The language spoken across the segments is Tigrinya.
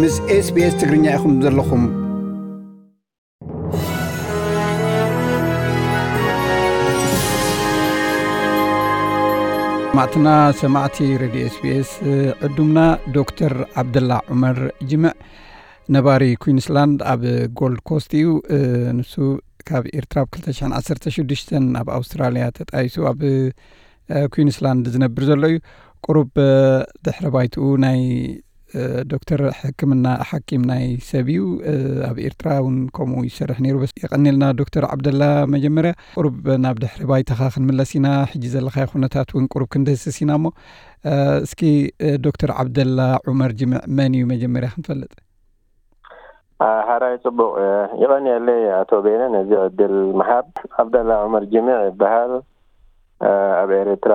ምስ SBS ትግርኛ ኢኹም ዘለኹም። ማዕትና ሰማዕቲ ሬድዮ SBS፣ ዕዱምና ዶክተር ዓብደላ ዑመር ጅምዕ ነባሪ ኩዊንስላንድ ኣብ ጎልድ ኮስት እዩ። ንሱ ካብ ኤርትራ ኣብ ክልተ ሽሕን ዓሰርተ ሽዱሽተን ኣብ ኣውስትራልያ ተጣይሱ ኣብ ኩዊንስላንድ ዝነብር ዘሎ እዩ። ቁሩብ ድሕረ ባይትኡ ናይ ዶክተር ሕክምና ሓኪም ናይ ሰብ እዩ። ኣብ ኤርትራ እውን ከምኡ ይሰርሕ ነይሩ። በስ የቐኒልና ዶክተር ዓብደላ። መጀመርያ ቁሩብ ናብ ድሕሪ ባይታኻ ክንምለስ ኢና። ሕጂ ዘለኻዮ ኩነታት እውን ቁሩብ ክንድህስስ ኢና እሞ፣ እስኪ ዶክተር ዓብደላ ዑመር ጅምዕ መን እዩ መጀመርያ ክንፈልጥ? ሓራይ ጽቡቕ። ይቐንየለይ ኣቶ ቤነ ነዚ ዕድል ምሃብ። ዓብደላ ዑመር ጅምዕ ይበሃል። ኣብ ኤርትራ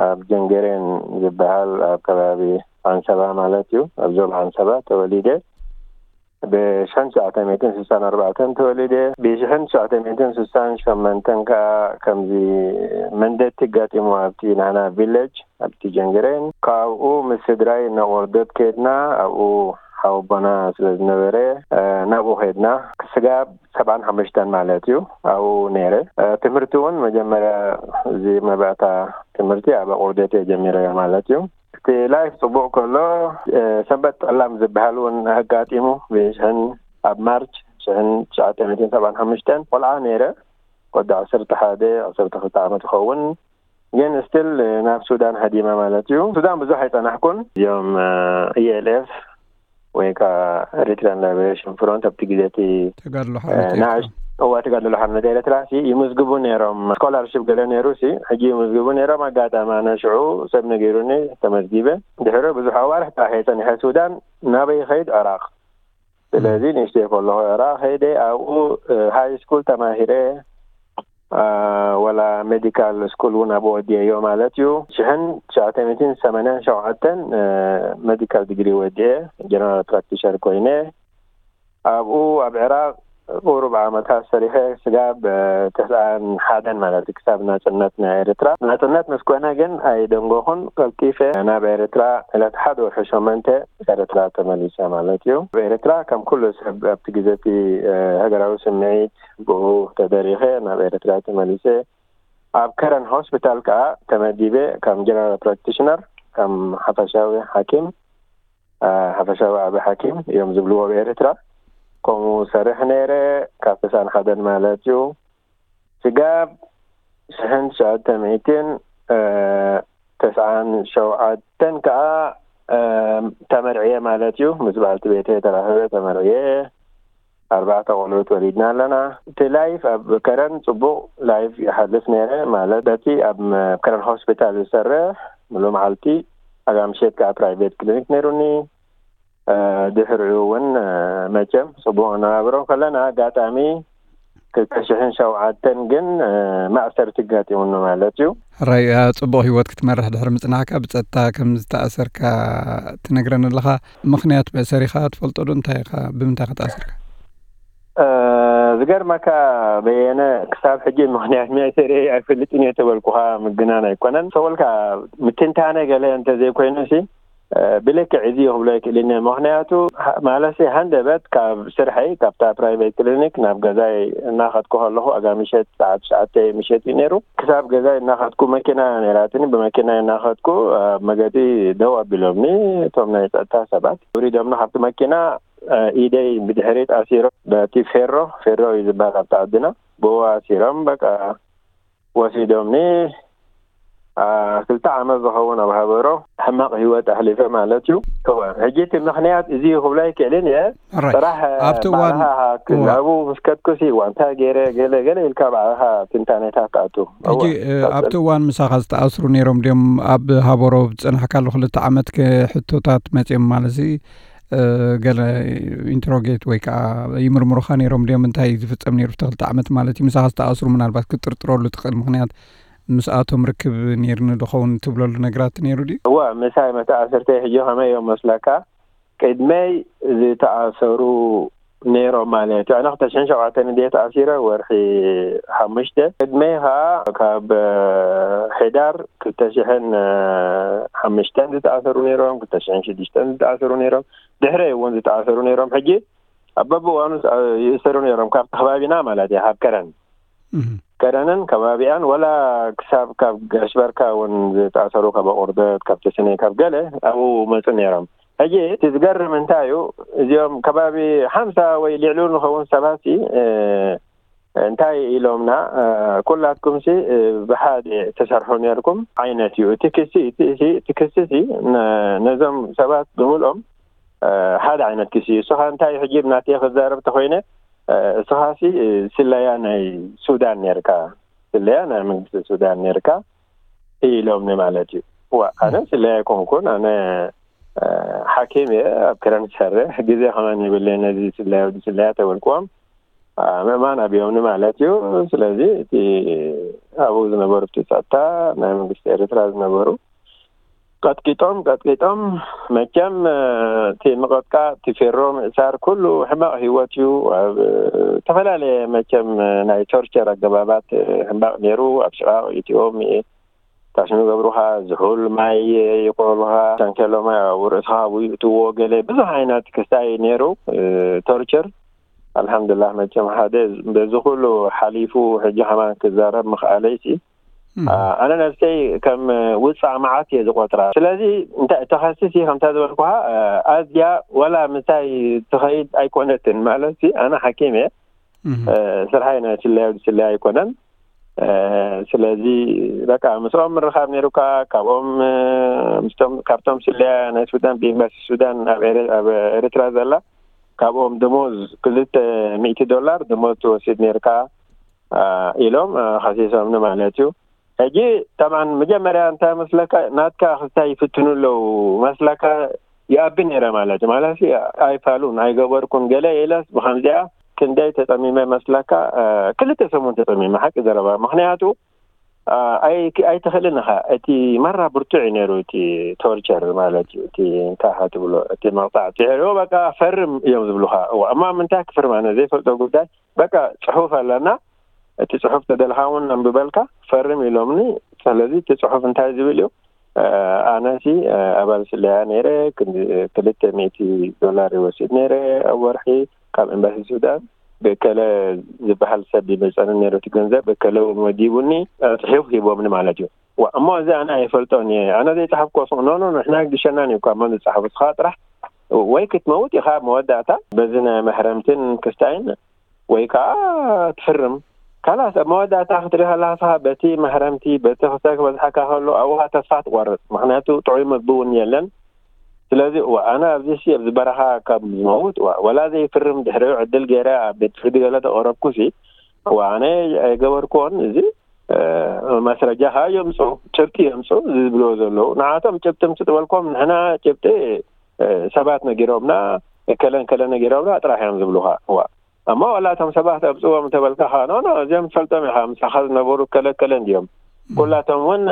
ኣብ ጀንገሬን ዝበሃል ኣብ ከባቢ ዓንሰባ ማለት እዩ፣ ኣብ ዞባ ዓንሰባ ተወሊደ። ብሽሕን ትሽዓተ ሚእትን ስሳን ኣርባዕተን ተወሊደ። ብሽሕን ትሽዓተ ሚእትን ስሳን ሸመንተን ከዓ ከምዚ መንደቲ ጋጢሙ ኣብቲ ናና ቪለጅ ኣብቲ ጀንግሬን። ካብኡ ምስ ስድራይ ነቆርደት ከድና፣ ኣብኡ ሓወቦና ስለ ዝነበረ ናብኡ ከድና። ክስጋብ ሰብዓን ሓሙሽተን ማለት እዩ ኣብኡ ነይረ። ትምህርቲ እውን መጀመርያ እዚ መባእታ ትምህርቲ ኣብ ኣቆርደት እየ ጀሚረዮ ማለት እዩ። እቲ ላይፍ ጽቡቕ ከሎ፣ ሰንበት ጠላም ዝበሃል እውን ኣጋጢሙ። ብሽሕን ኣብ ማርች ሽሕን ትሽዓተ ሚእትን ሰብዓን ሓሙሽተን ቆልዓ ነይረ። ወዲ ዓሰርተ ሓደ ዓሰርተ ክልተ ዓመት ይኸውን። ግን ስቲል ናብ ሱዳን ሃዲመ ማለት እዩ። ሱዳን ብዙሕ ኣይጸናሕኩን። እዚኦም ELF ወይ ከዓ ኤሪትሪያን ላይበሬሽን ፍሮንት ኣብቲ ግዜ እቲ ተጋድሎ ሓርነት ኤርትራ። ንኣሽ እዋ ተጋድሎ ሓርነት ኤርትራ ሲ ይምዝግቡ ነይሮም። ስኮላርሽፕ ገለ ነይሩ ሲ ሕጂ ይምዝግቡ ነይሮም። ኣጋጣሚ ኣነ ሽዑ ሰብ ነጊሩኒ ተመዝጊበ። ድሕሪ ብዙሕ ኣዋርሕ ጥራሕ እየ ጸኒሐ ሱዳን። ናበይ ኸይድ? ዕራቕ። ስለዚ ንእሽተይ ከለኹ ዕራቕ ኸይደ ኣብኡ ሃይ ስኩል ተማሂረ። ወላ ሜዲካል ስኩል እውን ኣብኡ ወዲአዮ ማለት እዩ። ሽሕን ትሽዓተ ሚእትን ሰማንያን ሸውዓተን ሜዲካል ዲግሪ ወዲአ ጀነራል ፕራክቲሸር ኮይነ ኣብኡ ኣብ ዕራቕ ቁሩብ ዓመታት ሰሪሐ ስጋብ ተስዓን ሓደን ማለት እዩ፣ ክሳብ ናጽነት ናይ ኤርትራ። ናጽነት ምስ ኮነ ግን ኣይደንጎኹን፣ ቀልጢፈ ናብ ኤርትራ ዕለት ሓደ ወርሒ ሸሞንተ ኤርትራ ተመሊሰ ማለት እዩ። ኣብ ኤርትራ ከም ኩሉ ሰብ ኣብቲ ግዜ እቲ ሃገራዊ ስምዒት ብኡ ተደሪኸ ናብ ኤርትራ ተመሊሰ። ኣብ ከረን ሆስፒታል ከኣ ተመዲበ ከም ጀነራል ፕራክቲሽነር፣ ከም ሓፈሻዊ ሓኪም፣ ሓፈሻዊ ዓቢ ሓኪም እዮም ዝብልዎ ኣብ ኤርትራ። ከምኡ ሰርሕ ነይረ ካብ ተስዓን ሓደን ማለት እዩ። ስጋብ ሽሕን ትሽዓተ ሚእትን ተስዓን ሸውዓተን ከኣ ተመርዕየ ማለት እዩ። ምስ በዓልቲ ቤተይ ተራኺበ ተመርዕየ። ኣርባዕተ ቆልዑት ወሊድና ኣለና። እቲ ላይፍ ኣብ ከረን ጽቡቕ ላይፍ ይሓልፍ ነይረ፣ ማለት በቲ ኣብ ከረን ሆስፒታል ዝሰርሕ ሙሉ መዓልቲ፣ ኣጋ ምሸት ከኣ ፕራይቬት ክሊኒክ ነይሩኒ። ድሕሪኡ እውን መቸም ጽቡቕ እናበረ ከለና ኣጋጣሚ ክልተ ሽሕን ሸውዓተን ግን ማእሰርቲ ኣጋጢሙኒ ማለት እዩ። ሕራይ ጽቡቕ ህይወት ክትመርሕ ድሕሪ ምጽናሕካ ብጸጥታ ከም ዝተኣሰርካ ትነግረኒ ኣለኻ። ምኽንያት መእሰሪኻ ትፈልጦ ዶ? እንታይ ኢኻ፣ ብምንታይ ኢኻ ተኣሲርካ? ዝገርመካ በየነ፣ ክሳብ ሕጂ ምኽንያት መእሰሪ ኣይፈልጥን እየ ተበልኩኻ ምግናን ኣይኮነን። ሰወልካ ምትንታነ ገለ እንተዘይኮይኑ ሲ ብልክዕ እዚ ክብሎ ኣይክእልን እየ። ምኽንያቱ ማለሲ ሃንደበት ካብ ስርሐይ ካብታ ፕራይቬት ክሊኒክ ናብ ገዛይ እናኸድኩ ከለኹ ኣጋ ምሸት ሰዓት ትሽዓተ ምሸት እዩ ነይሩ። ክሳብ ገዛይ እናኸድኩ መኪና ነይራትኒ፣ ብመኪና እናኸድኩ ኣብ መገዲ ደው ኣቢሎምኒ እቶም ናይ ጸጥታ ሰባት። ኣውሪዶምኒ ካብቲ መኪና ኢደይ ብድሕሪት ኣሲሮም በቲ ፌሮ፣ ፌሮ እዩ ዝበሃል ኣብቲ ዓድና፣ ብኡ ኣሲሮም በቃ ወሲዶምኒ። ክልተ ዓመት ዝኸውን ኣብ ሃበሮ ሕማቕ ህይወት ኣሕሊፈ ማለት እዩ። እወ፣ ሕጂ እቲ ምኽንያት እዚ እዩ ክብሎ ኣይክእልን እየ። ጥራሕ ኣብቲ እዋን ኣብኡ ምስ ከድኩሲ እዋ እንታይ ገይረ ገለ ገለ ኢልካ ባዕልኻ ትንታኔታት ትኣቱ። ሕጂ ኣብቲ እዋን ምሳኻ ዝተኣስሩ ነይሮም ድዮም? ኣብ ሃበሮ ዝጸናሕካሉ ክልተ ዓመት ሕቶታት መጺኦም ማለት ገለ ኢንትሮጌት ወይ ከዓ ይምርምሩኻ ነይሮም ድዮም? እንታይ ዝፍጸም ነይሩ ኣብቲ ክልተ ዓመት ማለት እዩ? ምሳኻ ዝተኣስሩ ምናልባት ክትጥርጥረሉ ትኽእል ምኽንያት ምስኣቶም ርክብ ነይርኒ ድኸውን ትብለሉ ነገራት ነይሩ ድዩ? እወ፣ ምሳይ መተኣስርተይ ሕጂ ከመይ እዮም መስለካ? ቅድመይ ዝተኣሰሩ ነይሮም ማለት እዩ። ኣነ ክልተ ሽሕን ሸውዓተን እንድየ ተኣሲረ፣ ወርሒ ሓሙሽተ። ቅድመይ ከዓ ካብ ሕዳር ክልተ ሽሕን ሓሙሽተን ዝተኣሰሩ ነይሮም፣ ክልተ ሽሕን ሽዱሽተን ዝተኣሰሩ ነይሮም። ድሕረ እውን ዝተኣሰሩ ነይሮም። ሕጂ ኣብ በብእዋኑ ይእሰሩ ነይሮም፣ ካብቲ ከባቢና ማለት እዩ፣ ካብ ከረን ከረንን ከባቢኣን፣ ወላ ክሳብ ካብ ጋሽበርካ እውን ዝተኣሰሩ፣ ካብ ኣቑርደት፣ ካብ ተስነ፣ ካብ ገለ ኣብኡ መፁ ነይሮም። ሕጂ እቲ ዝገርም እንታይ እዩ፣ እዚኦም ከባቢ ሓምሳ ወይ ልዕሊኡ ንኸውን ሰባት እንታይ ኢሎምና፣ ኩላትኩም ሲ ብሓደ ተሰርሑ ነርኩም ዓይነት እዩ እቲ ክሲ። እቲ ክሲ ሲ ነዞም ሰባት ብምልኦም ሓደ ዓይነት ክሲ እዩ። እስኻ እንታይ ሕጂ ናተይ ክዛረብ ተኮይነ፣ እስኻ ሲ ስለያ ናይ ሱዳን ነርካ፣ ስለያ ናይ መንግስቲ ሱዳን ነርካ ኢሎምኒ ማለት እዩ። ዋ፣ ኣነ ስለያ ኣይኮንኩን፣ ኣነ ሓኪም እየ፣ ኣብ ክረን ዝሰርሕ፣ ግዜ ከማን የብለይ ነዚ ስለያ ወዲ ስለያ ተበልክዎም። ምእማን ኣብዮምኒ ማለት እዩ። ስለዚ እቲ ኣብኡ ዝነበሩ እቲ ጸጥታ ናይ መንግስቲ ኤርትራ ዝነበሩ ቀጥቂጦም ቀጥቂጦም፣ መቸም እቲ ምቐጥቃጥ፣ እቲ ፌሮ ምእሳር ኩሉ ሕማቕ ህይወት እዩ። ኣብ ዝተፈላለየ መቸም ናይ ቶርቸር ኣገባባት ሕማቕ ነይሩ። ኣብ ሽቓቕ ኢትዮም ታሽኑ ገብሩኻ፣ ዝሑል ማይ ይቆሉኻ፣ ታንከሎ ማይ ኣብ ርእስኻ ኣብኡ ይእትዎ፣ ገለ ብዙሕ ዓይነት ክስታይ ነይሩ። ቶርቸር ኣልሓምዱላህ፣ መቸም ሓደ በዚ ኩሉ ሓሊፉ ሕጂ ከማን ክዛረብ ምኽኣለይሲ ኣነ ነብሰይ ከም ውፃእ መዓት እየ ዝቆጥራ። ስለዚ እንታይ ተኸስስ እየ ከምታ ዝበልኩኻ፣ ኣዝያ ወላ ምሳይ ትኸይድ ኣይኮነትን ማለት፣ ኣነ ሓኪም እየ፣ ስርሓይ ናይ ስለያ ስለያ ኣይኮነን። ስለዚ በቃ ምስኦም ምርኻብ ነይሩካ፣ ካብኦም ምስቶም ካብቶም ስለያ ናይ ሱዳን፣ ብኤምባሲ ሱዳን ኣብ ኤረ- ኣብ ኤርትራ ዘላ፣ ካብኦም ደሞዝ ክልተ ሚእቲ ዶላር ደሞዝ ትወስድ ነርካ ኢሎም ከሲሶምኒ ማለት እዩ። ሕጂ ጠብዓን መጀመርያ እንታይ መስለካ፣ ናትካ ክስታይ ይፍትኑ ኣለዉ መስለካ፣ ይኣቢ ነይረ ማለት እዩ። ማለት ኣይፋሉን ኣይገበርኩን ገለ ኢለስ ብከምዚኣ ክንደይ ተጠሚመ መስለካ፣ ክልተ ሰሙን ተጠሚመ፣ ሓቂ ዘረባ። ምክንያቱ ኣይትኽእልን ኢኻ። እቲ ማራ ብርቱዕ እዩ ነይሩ፣ እቲ ቶርቸር ማለት እዩ፣ እቲ እንታይ ኢኻ ትብሎ፣ እቲ መቕፃዕቲ። ድሕሪኡ በቃ ፈርም እዮም ዝብሉኻ። እዋ እሞ ኣብ ምንታይ ክፍርም፣ ኣነ ዘይፈልጦ ጉዳይ። በቃ ፅሑፍ ኣለና፣ እቲ ፅሑፍ ተደልኻ እውን ኣንብበልካ ፈርም ኢሎምኒ። ስለዚ እቲ ፅሑፍ እንታይ ዝብል እዩ? ኣነሲ ኣባል ስለያ ነይረ፣ ክልተ ሚእቲ ዶላር ይወስድ ነይረ ኣብ ወርሒ ካብ ኤምባሲ ሱዳን። ብእከለ ዝበሃል ሰብ ይመፀኒ ነይሩ እቲ ገንዘብ፣ እከለ እውን ወዲቡኒ፣ ፅሑፍ ሂቦምኒ ማለት እዩ። ዋ እሞ እዚ ኣነ ኣይፈልጦን እየ፣ ኣነ ዘይፀሓፍኮ ኖ ኖ፣ ንሕና ግሸናን እዩ እኳ መን ዝፀሓፉ፣ ስኻ ጥራሕ ወይ ክትመውት ኢኻ መወዳእታ በዚ ናይ መሕረምትን ክስታይን፣ ወይ ከዓ ትፍርም። ካላስ ኣብ መወዳእታ ክትርኢ ከለካ በቲ መሕረምቲ በቲ ክስታይ ክበዝሓካ ከሎ ኣብኡ ተስፋ ትቆርፅ፣ ምክንያቱ ጥዑይ ምግቢ እውን የለን። ስለዚ እዋ ኣነ ኣብዚ ሲ ኣብዚ በረኻ ካብ ዝመውት፣ እዋ ወላ ዘይፍርም ድሕሪኡ ዕድል ገይረ ኣብ ቤት ፍርዲ ገለ ተቐረብኩ ሲ፣ እዋ ኣነ ኣይገበርክዎን። እዚ መስረጃ ከዓ የምፁ፣ ጭብጢ የምፁ ዝብልዎ ዘለዉ። ንዓቶም ጭብጢ ምፅ ትበልኮም፣ ንሕና ጭብጢ ሰባት ነጊሮምና፣ ከለን ከለ ነጊሮምና ጥራሕ እዮም ዝብሉካ። እዋ እሞ ዋላ እቶም ሰባት ኣብፅዎም እንተበልካ ከዓ ኖ ኖ፣ እዚኦም ትፈልጦም ኢኻ፣ ምሳኻ ዝነበሩ ከለ ከለ እንዲዮም፣ ኩላቶም እውን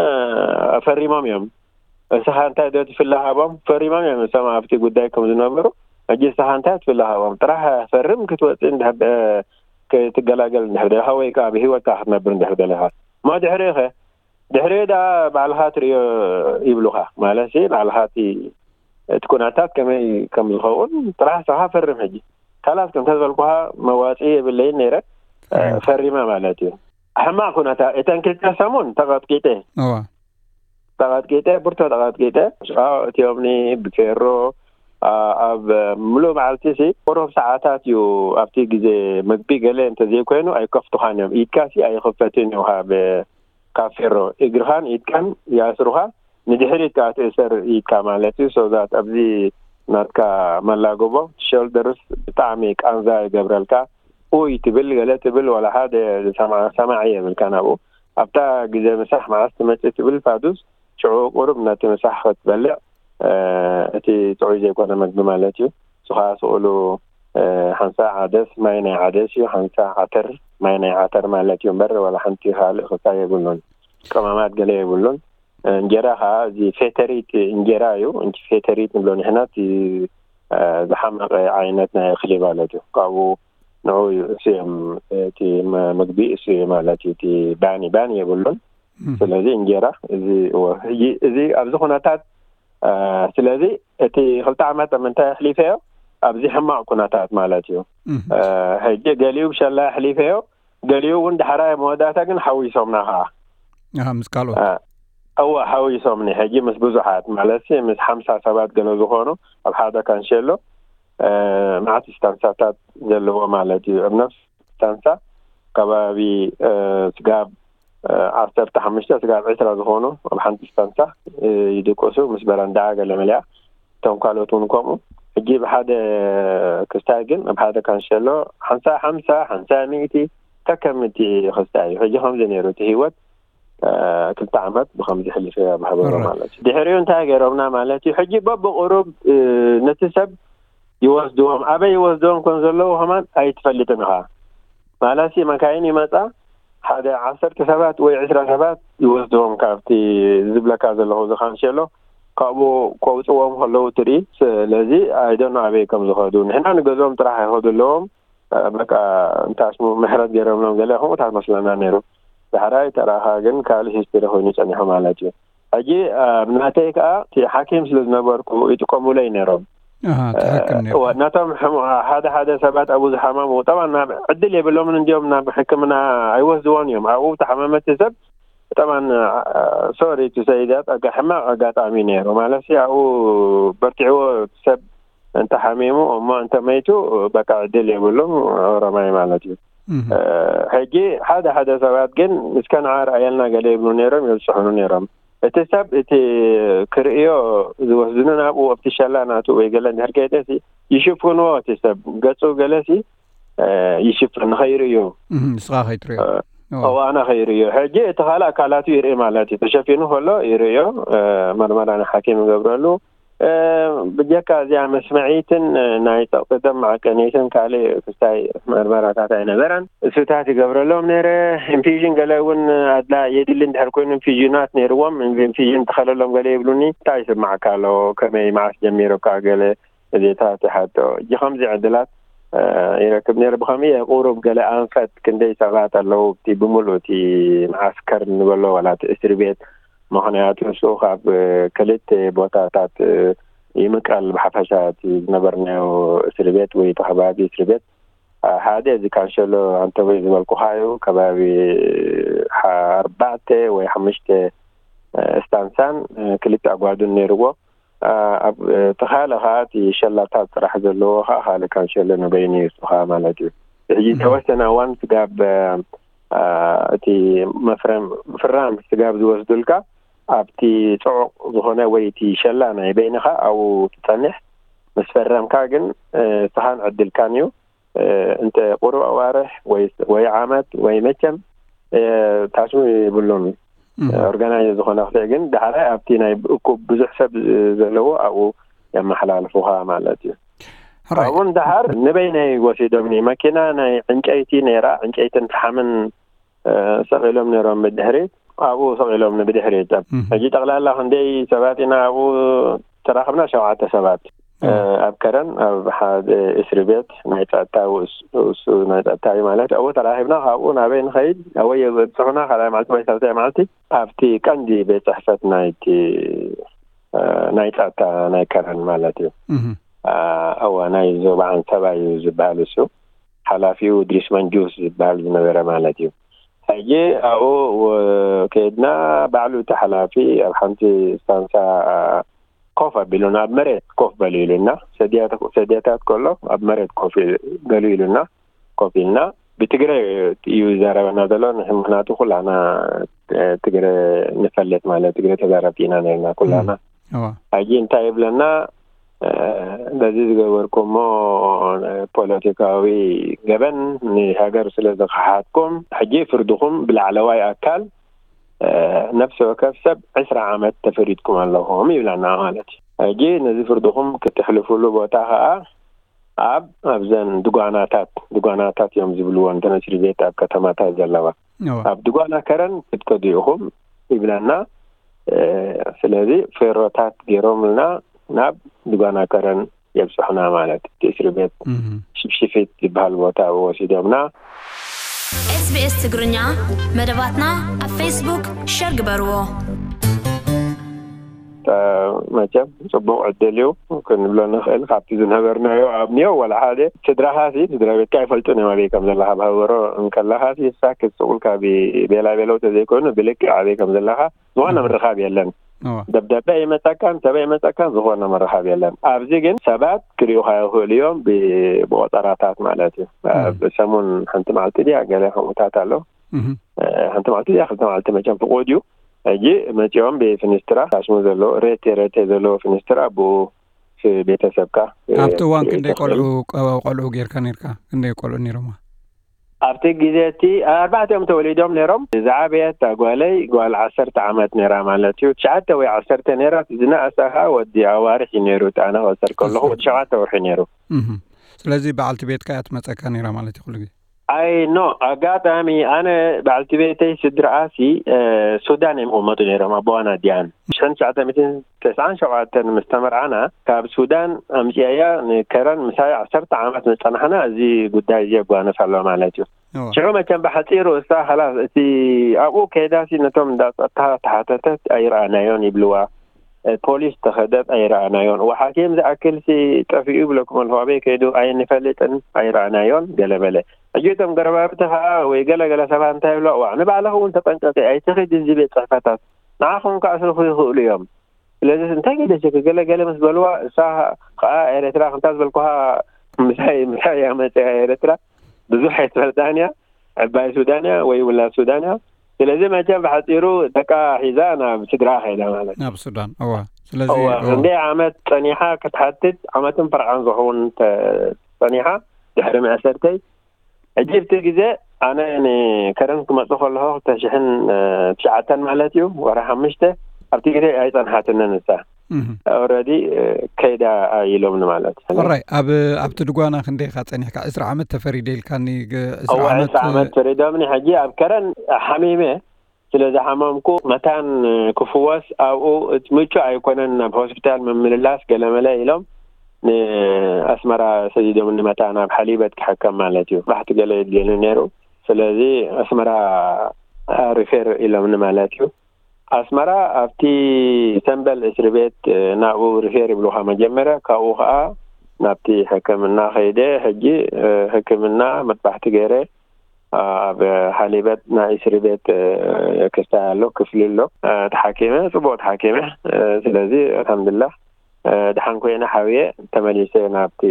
ፈሪሞም እዮም። እስኻ እንታይ ዶ ትፍለ ሃቦም፣ ፈሪሞም እዮም እሶም ኣብቲ ጉዳይ ከም ዝነበሩ። ሕጂ እስኻ እንታይ ትፍለ ሃቦም፣ ጥራሕ ፈርም ክትወፅእ እንድሕር ክትገላገል እንድሕር ደለኻ ወይ ከዓ ብህይወትካ ክትነብር እንድሕር ደለኻ። እሞ ድሕሪኡ ኸ? ድሕሪኡ ደኣ ባዕልኻ ትርእዮ ይብሉኻ። ማለት ባዕልኻ እቲ እቲ ኩነታት ከመይ ከም ዝኸውን ጥራሕ እስኻ ፈርም። ሕጂ ካላስ ከምታ ዝበልኩኻ መዋፅኢ የብለይን ነይረ፣ ፈሪመ ማለት እዩ። ሕማቕ ኩነታት እተን ክልተ ሰሙን ተቐጥቂጠ፣ ተቐጥቂጠ፣ ብርቶ ተቐጥቂጠ። ሽቓቕ እትዮምኒ ብፌሮ፣ ኣብ ምሉእ መዓልቲ ሲ ቁሩብ ሰዓታት እዩ። ኣብቲ ግዜ ምግቢ ገለ እንተዘይኮይኑ ኣይከፍቱኻን እዮም። ኢድካ ሲ ኣይኽፈትን እዩ ካብ ካብ ፌሮ እግርኻን ኢድካን ይኣስሩኻ፣ ንድሕሪት ከዓ ትእሰር ኢድካ ማለት እዩ። So that ኣብዚ ናትካ መላጎቦ፣ ሾልደርስ፣ ብጣዕሚ ቃንዛ ይገብረልካ። ኡይ ትብል ገለ ትብል፣ ዋላ ሓደ ዝሰማ- ሰማዒ የብልካን ኣብኡ። ኣብታ ግዜ ምሳሕ መዓስ ትመፅእ ትብል ፋዱስ፣ ሽዑ ቁሩብ ነቲ ምሳሕ ክትበልዕ፣ እቲ ጥዑይ ዘይኮነ መግቢ ማለት እዩ። ንሱ ከዓ ስእሉ ሓንሳእ ዓደስ፣ ማይ ናይ ዓደስ እዩ፣ ሓንሳእ ዓተር፣ ማይ ናይ ዓተር ማለት እዩ እምበር ዋላ ሓንቲ ካልእ ክልተ የብሉን። ቀማማት ገለ የብሉን። እንጀራ ከዓ እዚ ፌተሪት እንጀራ እዩ። እቲ ፌተሪት ንብሎ ንሕና እቲ ዝሓመቐ ዓይነት ናይ እኽሊ ማለት እዩ። ካብኡ ንዑ እዩ እሱ እዮም እቲ መ- ምግቢ እሱ እዩ ማለት እዩ። እቲ ባኒ ባኒ የብሉን። ስለዚ እንጀራ እዚ እዎ፣ ሕጂ እዚ ኣብዚ ኩነታት ስለዚ እቲ ክልተ ዓመት ኣብ ምንታይ ኣሕሊፈዮ? ኣብዚ ሕማቕ ኩነታት ማለት እዩ። ሕጂ ገሊኡ ብሸላ ኣሕሊፈዮ፣ ገሊኡ እውን ዳሕራይ መወዳእታ ግን ሓዊሶምና ከዓ። ምስ ካልኦት እወ፣ ሓዊሶምኒ። ሕጂ ምስ ብዙሓት ማለት ምስ ሓምሳ ሰባት ገለ ዝኾኑ ኣብ ሓደ ካንሸሎ፣ መዓት ስታንሳታት ዘለዎ ማለት እዩ። ኣብ ነፍሲ ስታንሳ ከባቢ ስጋብ ዓሰርተ ሓሙሽተ ስጋብ ዕስራ ዝኾኑ ኣብ ሓንቲ ስታንሳ ይድቅሱ፣ ምስ በረንዳ ገለ መሊኣ። እቶም ካልኦት እውን ከምኡ። ሕጂ ብሓደ ክስታይ ግን ኣብ ሓደ ካንሸሎ ሓንሳ ሓምሳ ሓንሳ ሚእቲ ከከምቲ ክስታይ እዩ። ሕጂ ከምዚ ነይሩ እቲ ህይወት። ክልተ ዓመት ብከምዚ ሕሊፈ ኣብ ሃበሮ ማለት እዩ። ድሕሪኡ እንታይ ገይሮምና ማለት እዩ? ሕጂ በብቁሩብ ነቲ ሰብ ይወስድዎም፣ ኣበይ ይወስድዎም ከም ዘለዉ ከማን ኣይትፈልጥን ኢኻ። ማለትሲ መካይን ይመጻ፣ ሓደ ዓሰርተ ሰባት ወይ ዕስራ ሰባት ይወስድዎም ካብቲ ዝብለካ ዘለኹ ዝካንሸሎ፣ ካብኡ ከውፅዎም ከለዉ ትርኢ። ስለዚ ኣይደኖ ኣበይ ከም ዝኸዱ፣ ንሕና ንገዝኦም ጥራሕ ኣይኸዱ ኣለዎም። በቃ እንታይ ስሙ ምሕረት ገይሮምሎም ገለ ከምኡታት መስለና ነይሩ። ዳሕራይ ተራኻ ግን ካልእ ሂስትሪ ኮይኑ ጸኒሑ ማለት እዩ። ሕጂ ኣብ ናተይ ከዓ እቲ ሓኪም ስለ ዝነበርኩ ይጥቀሙለይ ነይሮም። ኣሃ፣ ትሓክም ነይርካ። እወ፣ ነቶም ሕሙ- ሓደ ሓደ ሰባት ኣብኡ ዝሓመሙ ጠባን ናብ ዕድል የብሎምን፣ እንዲዮም ናብ ሕክምና ኣይወስድዎን እዮም። ኣብኡ ተሓመመቲ ሰብ ጠባን ሶሪ ቱ ሰይዳት ሕማቕ ኣጋጣሚ ነይሩ ማለት ኣብኡ በርቲዕዎ ሰብ እንተሓሚሙ እሞ እንተመይቱ በቃ ዕድል የብሎም ኦሮማይ ማለት እዩ። ሕጂ ሓደ ሓደ ሰባት ግን እስከ ንዓ ርኣየልና ገለ ይብሉ ነይሮም፣ የብፅሑኑ ነይሮም። እቲ ሰብ እቲ ክርእዮ ዝወስድኑ ናብኡ ኣብቲ ሸላ ናቱ ወይ ገለ እንድሕር ከይደሲ ይሽፍንዎ። እቲ ሰብ ገፁ ገለሲ ይሽፍን ንኸይርእዩ ንስኻ ከይትርእዮ እዋና ከይርእዮ። ሕጂ እቲ ካልእ ኣካላቱ ይርኢ ማለት እዩ። ተሸፊኑ ከሎ ይርእዮ፣ መርመራ ንሓኪም ይገብረሉ። ብጀካ እዚኣ መስመዒትን ናይ ጸቕጢ ደም መዓቀኒትን ካልእ ክስታይ መርመራታት ኣይነበረን። እሱታት ይገብረሎም ነይረ። ኢንፊዥን ገለ እውን ኣድላ የድሊ እንድሕር ኮይኑ ኢንፊዥናት ነይርዎም። ኢንፊዥን ተኸለሎም ገለ ይብሉኒ። እንታይ ይስማዕካ ኣሎ? ከመይ መዓስ ጀሚሩካ? ገለ እዚታት ይሓቶ። እጂ ከምዚ ዕድላት ይረክብ ነይረ። ብኸምኡ ቁሩብ ገለ ኣንፈት ክንደይ ሰባት ኣለዉ እቲ ብምሉእ እቲ መዓስከር ንበሎ ዋላ እቲ እስሪ ቤት ምኽንያቱ ንሱ ካብ ክልተ ቦታታት ይምቀል። ብሓፈሻ እቲ ዝነበርናዮ እስሪ ቤት ወይ እቲ ከባቢ እስሪ ቤት ሓደ እዚ ካንሸሎ ኣንተወይ ዝበልኩኻ እዩ። ከባቢ ኣርባዕተ ወይ ሓሙሽተ ስታንሳን ክልተ ኣጓዱን ነይርዎ። ኣብ ተኻለ ከዓ እቲ ሸላታት ጥራሕ ዘለዎ ከዓ ካልእ ካንሸሎ ንበይኑ እዩ እሱ ከዓ ማለት እዩ። ሕጂ ተወሰነ እዋን ስጋብ እቲ መፍረም ፍራም ስጋብ ዝወስዱልካ ኣብቲ ፅዑቕ ዝኾነ ወይ እቲ ሸላ ናይ በይንኻ ኣብኡ ትፀንሕ። ምስ ፈረምካ ግን ስኻን ዕድልካን እዩ። እንተ ቁሩብ ኣዋርሕ ወይ ዓመት ወይ መቸም ታሽሙ ይብሉን ኦርጋናይዝ ዝኾነ ክትዕ ግን ዳሕራይ ኣብቲ ናይ እኩብ ብዙሕ ሰብ ዘለዎ ኣብኡ የመሓላልፉኻ ማለት እዩ። ካብኡ ንዳሓር ንበይነይ ወሲዶምኒ። መኪና ናይ ዕንጨይቲ ነይራ፣ ዕንጨይትን ፈሓምን ሰቒሎም ነይሮም ብድሕሪት፣ ኣብኡ ሰቒሎምኒ ብድሕሪት። ሕጂ ጠቕላላ ክንደይ ሰባት ኢና ኣብኡ ተራኸብና? ሸውዓተ ሰባት። ኣብ ከረን ኣብ ሓደ እስሪ ቤት ናይ ጸጥታ ውእሱ ናይ ጸጥታ እዩ ማለት ኣብኡ ተራኺብና። ካብኡ ናበይ ንኸይድ ኣበይ የብጽሑና ካልኣይ መዓልቲ ወይ ሳልሳይ መዓልቲ ኣብቲ ቀንዲ ቤት ጽሕፈት ናይቲ ናይ ጸጥታ ናይ ከረን ማለት እዩ። እዋ ናይ ዞባ ዓንሰባ እዩ ዝበሃል እሱ። ሓላፊኡ ድሪስ መንጁስ ዝበሃል ዝነበረ ማለት እዩ። ሕጂ ኣብኡ ከድና ባዕሉ እቲ ሓላፊ ኣብ ሓንቲ ስታንሳ ኮፍ ኣቢሉና ኣብ መሬት ኮፍ በሉ ኢሉና ሰድያታት ከሎ ኣብ መሬት ኮፍ በሉ ኢሉና ኮፍ ኢልና ብትግረ እዩ ዘረበና ዘሎ። ምክንያቱ ኩላና ትግረ ንፈልጥ ማለት ትግረ ተዛረብቲ ኢና ነርና ኩላና። ሕጂ እንታይ ይብለና በዚ ዝገበርኩሞ ፖለቲካዊ ገበን ንሃገር ስለ ዝኸሓድኩም ሕጂ ፍርድኹም ብላዕለዋይ ኣካል ነፍሲ ወከፍ ሰብ ዕስራ ዓመት ተፈሪድኩም ኣለኹም ይብለና ማለት እዩ። ሕጂ ነዚ ፍርድኹም ክትሕልፉሉ ቦታ ከዓ ኣብ ኣብዘን ድጓናታት ድጓናታት እዮም ዝብልዎ እንተን እስሪ ቤት ኣብ ከተማታት ዘለዋ ኣብ ድጓና ከረን ክትከዱ ኢኹም ይብለና። ስለዚ ፌሮታት ገይሮምልና ናብ ድጓና ከረን የብፅሑና ማለት እቲ እስሪ ቤት ሽፍሽፊት ዝበሃል ቦታ ወሲዶምና። SBS ትግርኛ መደባትና ኣብ ፌስቡክ ሸር ግበርዎ። መቸም ጽቡቕ ዕድል እዩ ክንብሎ ንኽእል። ካብቲ ዝነበርናዮ ኣብንዮ ዋላ ሓደ ስድራኻሲ፣ ስድራ ቤትካ ኣይፈልጡን እዮም ኣበይ ከም ዘለኻ። ብሃበሮ እንከለኻሲ ሳክት ስቕ ኢልካ ቤላ ቤለው ተዘይኮይኑ ብልክዕ ኣበይ ከም ዘለኻ ዝኾነ ምርኻብ የለን። ደብዳቤ ይመጸካን ሰበ ይመጸካን ዝኾነ ምርኻብ የለን። ኣብዚ ግን ሰባት ክሪኡኻ ይኽእሉ እዮም፣ ብቆጸራታት ማለት እዩ። ብሰሙን ሓንቲ መዓልቲ ድያ ገለ ከምኡታት ኣሎ። ሓንቲ መዓልቲ ድያ ክልተ መዓልቲ መቸም ፍቑድ እዩ። ሕጂ መጺኦም ብፍንስትራ ታሽሙ ዘለዎ ሬቴ ሬቴ ዘለዎ ፍንስትራ ብኡ ቤተሰብካ። ኣብቲ እዋን ክንደይ ቆልዑ ቆልዑ ጌርካ ነርካ? ክንደይ ቆልዑ ነይሮማ? ኣብቲ ግዜ እቲ ኣርባዕቲኦም ተወሊዶም ነይሮም። ዝዓበየት ጓለይ ጓል ዓሰርተ ዓመት ነይራ ማለት እዩ። ትሽዓተ ወይ ዓሰርተ ነይራ። ዝነኣሳ ከዓ ወዲ ኣዋርሕ እዩ ነይሩ። ኣነ ክቆጽር ከለኹ ወዲ ሸውዓተ ወርሒ ነይሩ። ስለዚ በዓልቲ ቤትካ እያ ትመፀካ ነይራ ማለት እዩ ኩሉ ግዜ? ኣይ ኖ ኣጋጣሚ ኣነ በዓልቲ ቤተይ ስድራኣሲ ሱዳን እዮም ዝቕመጡ ነይሮም ኣቦዋን ኣዲኣን። ሽሕን ትሽዓተ ሚእትን ተስዓን ሸውዓተን ምስ ተመርዓና ካብ ሱዳን ኣምፅኣያ ንከረን ምሳይ ዓሰርተ ዓመት ምስ ፀናሕና እዚ ጉዳይ እዚ የጓንፍ ኣሎ ማለት እዩ። ሽዑ መቸም ብሓፂሩ እሳ ኸላስ እቲ ኣብኡ ከይዳሲ ነቶም እንዳ ፀጥታ ተሓተተት ኣይረኣናዮን ይብልዋ። ፖሊስ ተኸደት ኣይረኣናዮን። ወሓኪም ዝኣክል ሲ ጠፊኡ ይብለኩም ኣለኹ። ኣበይ ከይዱ ኣይንፈልጥን ኣይረኣናዮን ገለ በለ። ሕጂ እቶም ገረባብቲ ኸዓ ወይ ገለ ገለ ሰባት እንታይ ይብሎ፣ ዋዕ ንባዕልኺ እውን ተጠንቀቂ ኣይትኺድ እዚ ቤት ፅሕፈታት ንዓኹም ክኣስርኹ ይኽእሉ እዮም። ስለዚ እንታይ ገደሸኪ ገለ ገለ ምስ በልዋ እሳ ኸዓ ኤረትራ ክንታ ዝበልኩኻ ምሳይ ምሳይ እያ መፅያ ኤረትራ ብዙሕ ኣይትፈልጣን እያ። ዕባይ ሱዳን እያ ወይ ውላድ ሱዳን እያ። ስለዚ መቸም ብሓፂሩ ደቃ ሒዛ ናብ ስድራ ከይዳ ማለት እዩ። ናብ ሱዳን እዋ። ስለዚ እዋ እዋ። ክንደይ ዓመት ፀኒሓ ክትሓትት ዓመትን ፐርዓን ዝኸውን ተ- ፀኒሓ ድሕሪ መእሰርተይ ሕጂ ኣብቲ ግዜ ኣነ ንከረን ክመፁ ከለኹ ክልተ ሽሕን ትሽዓተን ማለት እዩ ወርሒ ሓሙሽተ ኣብቲ ግዜ ኣይፀንሓትንን እሳ ኦረዲ ከይዳ ኢሎምኒ ማለት እዩ። ሕራይ ኣብ ኣብቲ ድጓና ክንደይ ኢኻ ፀኒሕካ? ዕስራ ዓመት ተፈሪደ ኢልካኒ። ግ- ዕስራ እወ ዓመት ዕስራ ዓመት ፈሪዶምኒ። ሕጂ ኣብ ከረን ሓሚመ ስለ ዝሓመምኩ መታን ክፍወስ ኣብኡ እቲ ምቹእ ኣይኮነን ናብ ሆስፒታል ምምልላስ ገለመለ ኢሎም ንኣስመራ ሰዲዶምኒ መታን ኣብ ሓሊበት ክሕከም ማለት እዩ። ባሕቲ ገለ የድልየኒ ነይሩ። ስለዚ ኣስመራ ሪፌር ኢሎምኒ ማለት እዩ። ኣስመራ ኣብቲ ሰምበል እስሪ ቤት ናብኡ ሪፌር ይብሉኻ መጀመርያ። ካብኡ ከዓ ናብቲ ሕክምና ከይደ። ሕጂ ሕክምና መጥባሕቲ ገይረ ኣብ ሓሊበት ናይ እስሪ ቤት ክስታይ ኣሎ ክፍሊ ኣሎ ተሓኪመ ጽቡቅ ተሓኪመ ስለዚ ኣልሓምዱላ ድሓን ኮይነ ሓብየ ተመሊሰ ናብቲ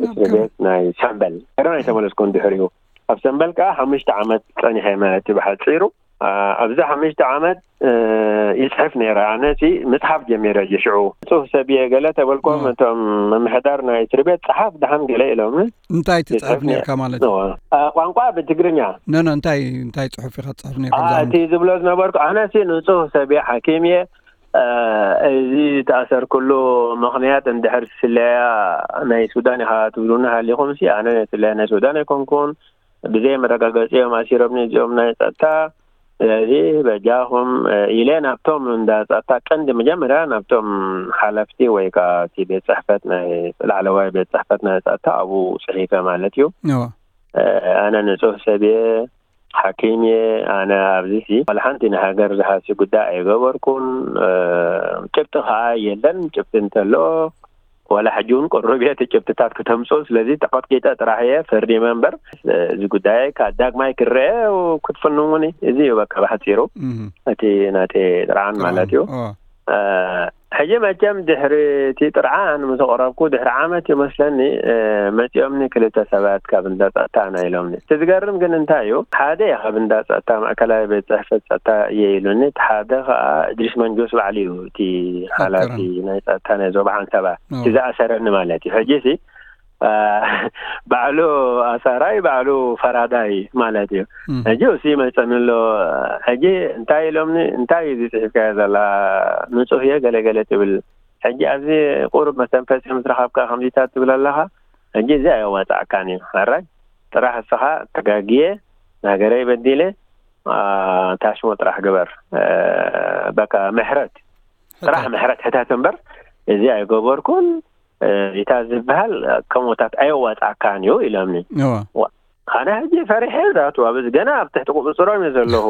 እስሪ ቤት ናይ ሰምበል ገና ኣይተመለስኩን ድሕሪኡ ኣብ ሰምበል ከዓ ሓሙሽተ ዓመት ጸኒሐ ማለት እዩ ብሓፂሩ ኣብዚ ሓሙሽተ ዓመት ይፅሕፍ ነይረ ኣነ ምፅሓፍ ጀሚረ ሽዑ ፅሁፍ ሰብየ ገለ ተበልኮም እቶም ምምሕዳር ናይ እስሪ ቤት ፀሓፍ ድሓን ገለ ኢሎም እንታይ ትፅሕፍ ነርካ ማለት እዩ? ቋንቋ ብትግርኛ ኖ ኖ እንታይ እንታይ ፅሑፍ ኢካ ትፅሕፍ ነርካ እቲ ዝብሎ ዝነበርኩ ኣነሲ ንፁህ ሰብ እየ ሓኪም እየ እዚ ዝተኣሰርኩሉ ምኽንያት እንድሕር ስለያ ናይ ሱዳን ኢኻ ትብሉኒ ሃሊኹም ሲ ኣነ ስለያ ናይ ሱዳን ኣይኮንኩን ብዘይ መረጋገፂ እዮም ኣሲሮምኒ እዚኦም ናይ ፀጥታ ስለዚ በጃኹም ኢለ ናብቶም እንዳ ፀጥታ ቀንዲ መጀመርያ ናብቶም ሓለፍቲ ወይ ከዓ እቲ ቤት ፅሕፈት ናይ ላዕለዋይ ቤት ፅሕፈት ናይ ፀጥታ ኣብኡ ፅሒፈ ማለት እዩ ኣነ ንፁህ ሰብ እየ ሓኪም እየ ኣነ ኣብዚ ሲ ዋላ ሓንቲ ንሃገር ዝሃሲ ጉዳይ ኣይገበርኩን ጭብጢ ከዓ የለን ጭብጢ እንተሎ ዋላ ሕጂ እውን ቅሩብ እየ እቲ ጭብጥታት ክተምፅኡ ስለዚ ተቐጥቂጠ ጥራሕ እየ ፈርዲመ እምበር እዚ ጉዳይ ካብ ዳግማይ ክረአ ክትፍንውኒ እዚ እዩ በቃ ብሓፂሩ እቲ ናተይ ጥርዓን ማለት እዩ ሕጂ መቸም ድሕሪ እቲ ጥርዓን ምስ ኣቕረብኩ ድሕሪ ዓመት ይመስለኒ መፂኦምኒ ክልተ ሰባት ካብ እንዳ ፀጥታ ና ኢሎምኒ እቲ ዝገርም ግን እንታይ እዩ ሓደ ካብ እንዳ ፀጥታ ማእከላዊ ቤት ፅሕፈት ፀጥታ እየ ኢሉኒ እቲ ሓደ ከዓ እድሪስ መንጆስ ባዕሉ እዩ እቲ ሓላፊ ናይ ፀጥታ ናይ ዞባ ዓንሰባ እቲ ዝኣሰረኒ ማለት እዩ ሕጂ ሲ ባዕሉ ኣሳራይ ባዕሉ ፈራዳይ ማለት እዩ ሕጂ እሱ ይመፀኒ ኣሎ ሕጂ እንታይ ኢሎምኒ እንታይ እዩ ዝፅሒፍካዮ ዘላ ንፁህ እየ ገለገለ ትብል ሕጂ ኣብዚ ቁሩብ መተንፈሲ ምስ ረኸብካ ከምዚታት ትብል ኣለኻ ሕጂ እዚ ኣየዋፃዕካን እዩ ሕራይ ጥራሕ እስኻ ተጋግየ ንሃገረይ በዲለ ታሽሞ ጥራሕ ግበር በቃ ምሕረት ጥራሕ ምሕረት ሕተት እምበር እዚ ኣይገበርኩን እታ ዝበሃል ከምኡታት ኣየዋፃእካን እዩ ኢሎምኒ ኣነ ሕጂ ፈሪሐ ዛቱ ኣብ ገና ኣብ ትሕቲ ቁፅፅሮም እየ ዘለኹ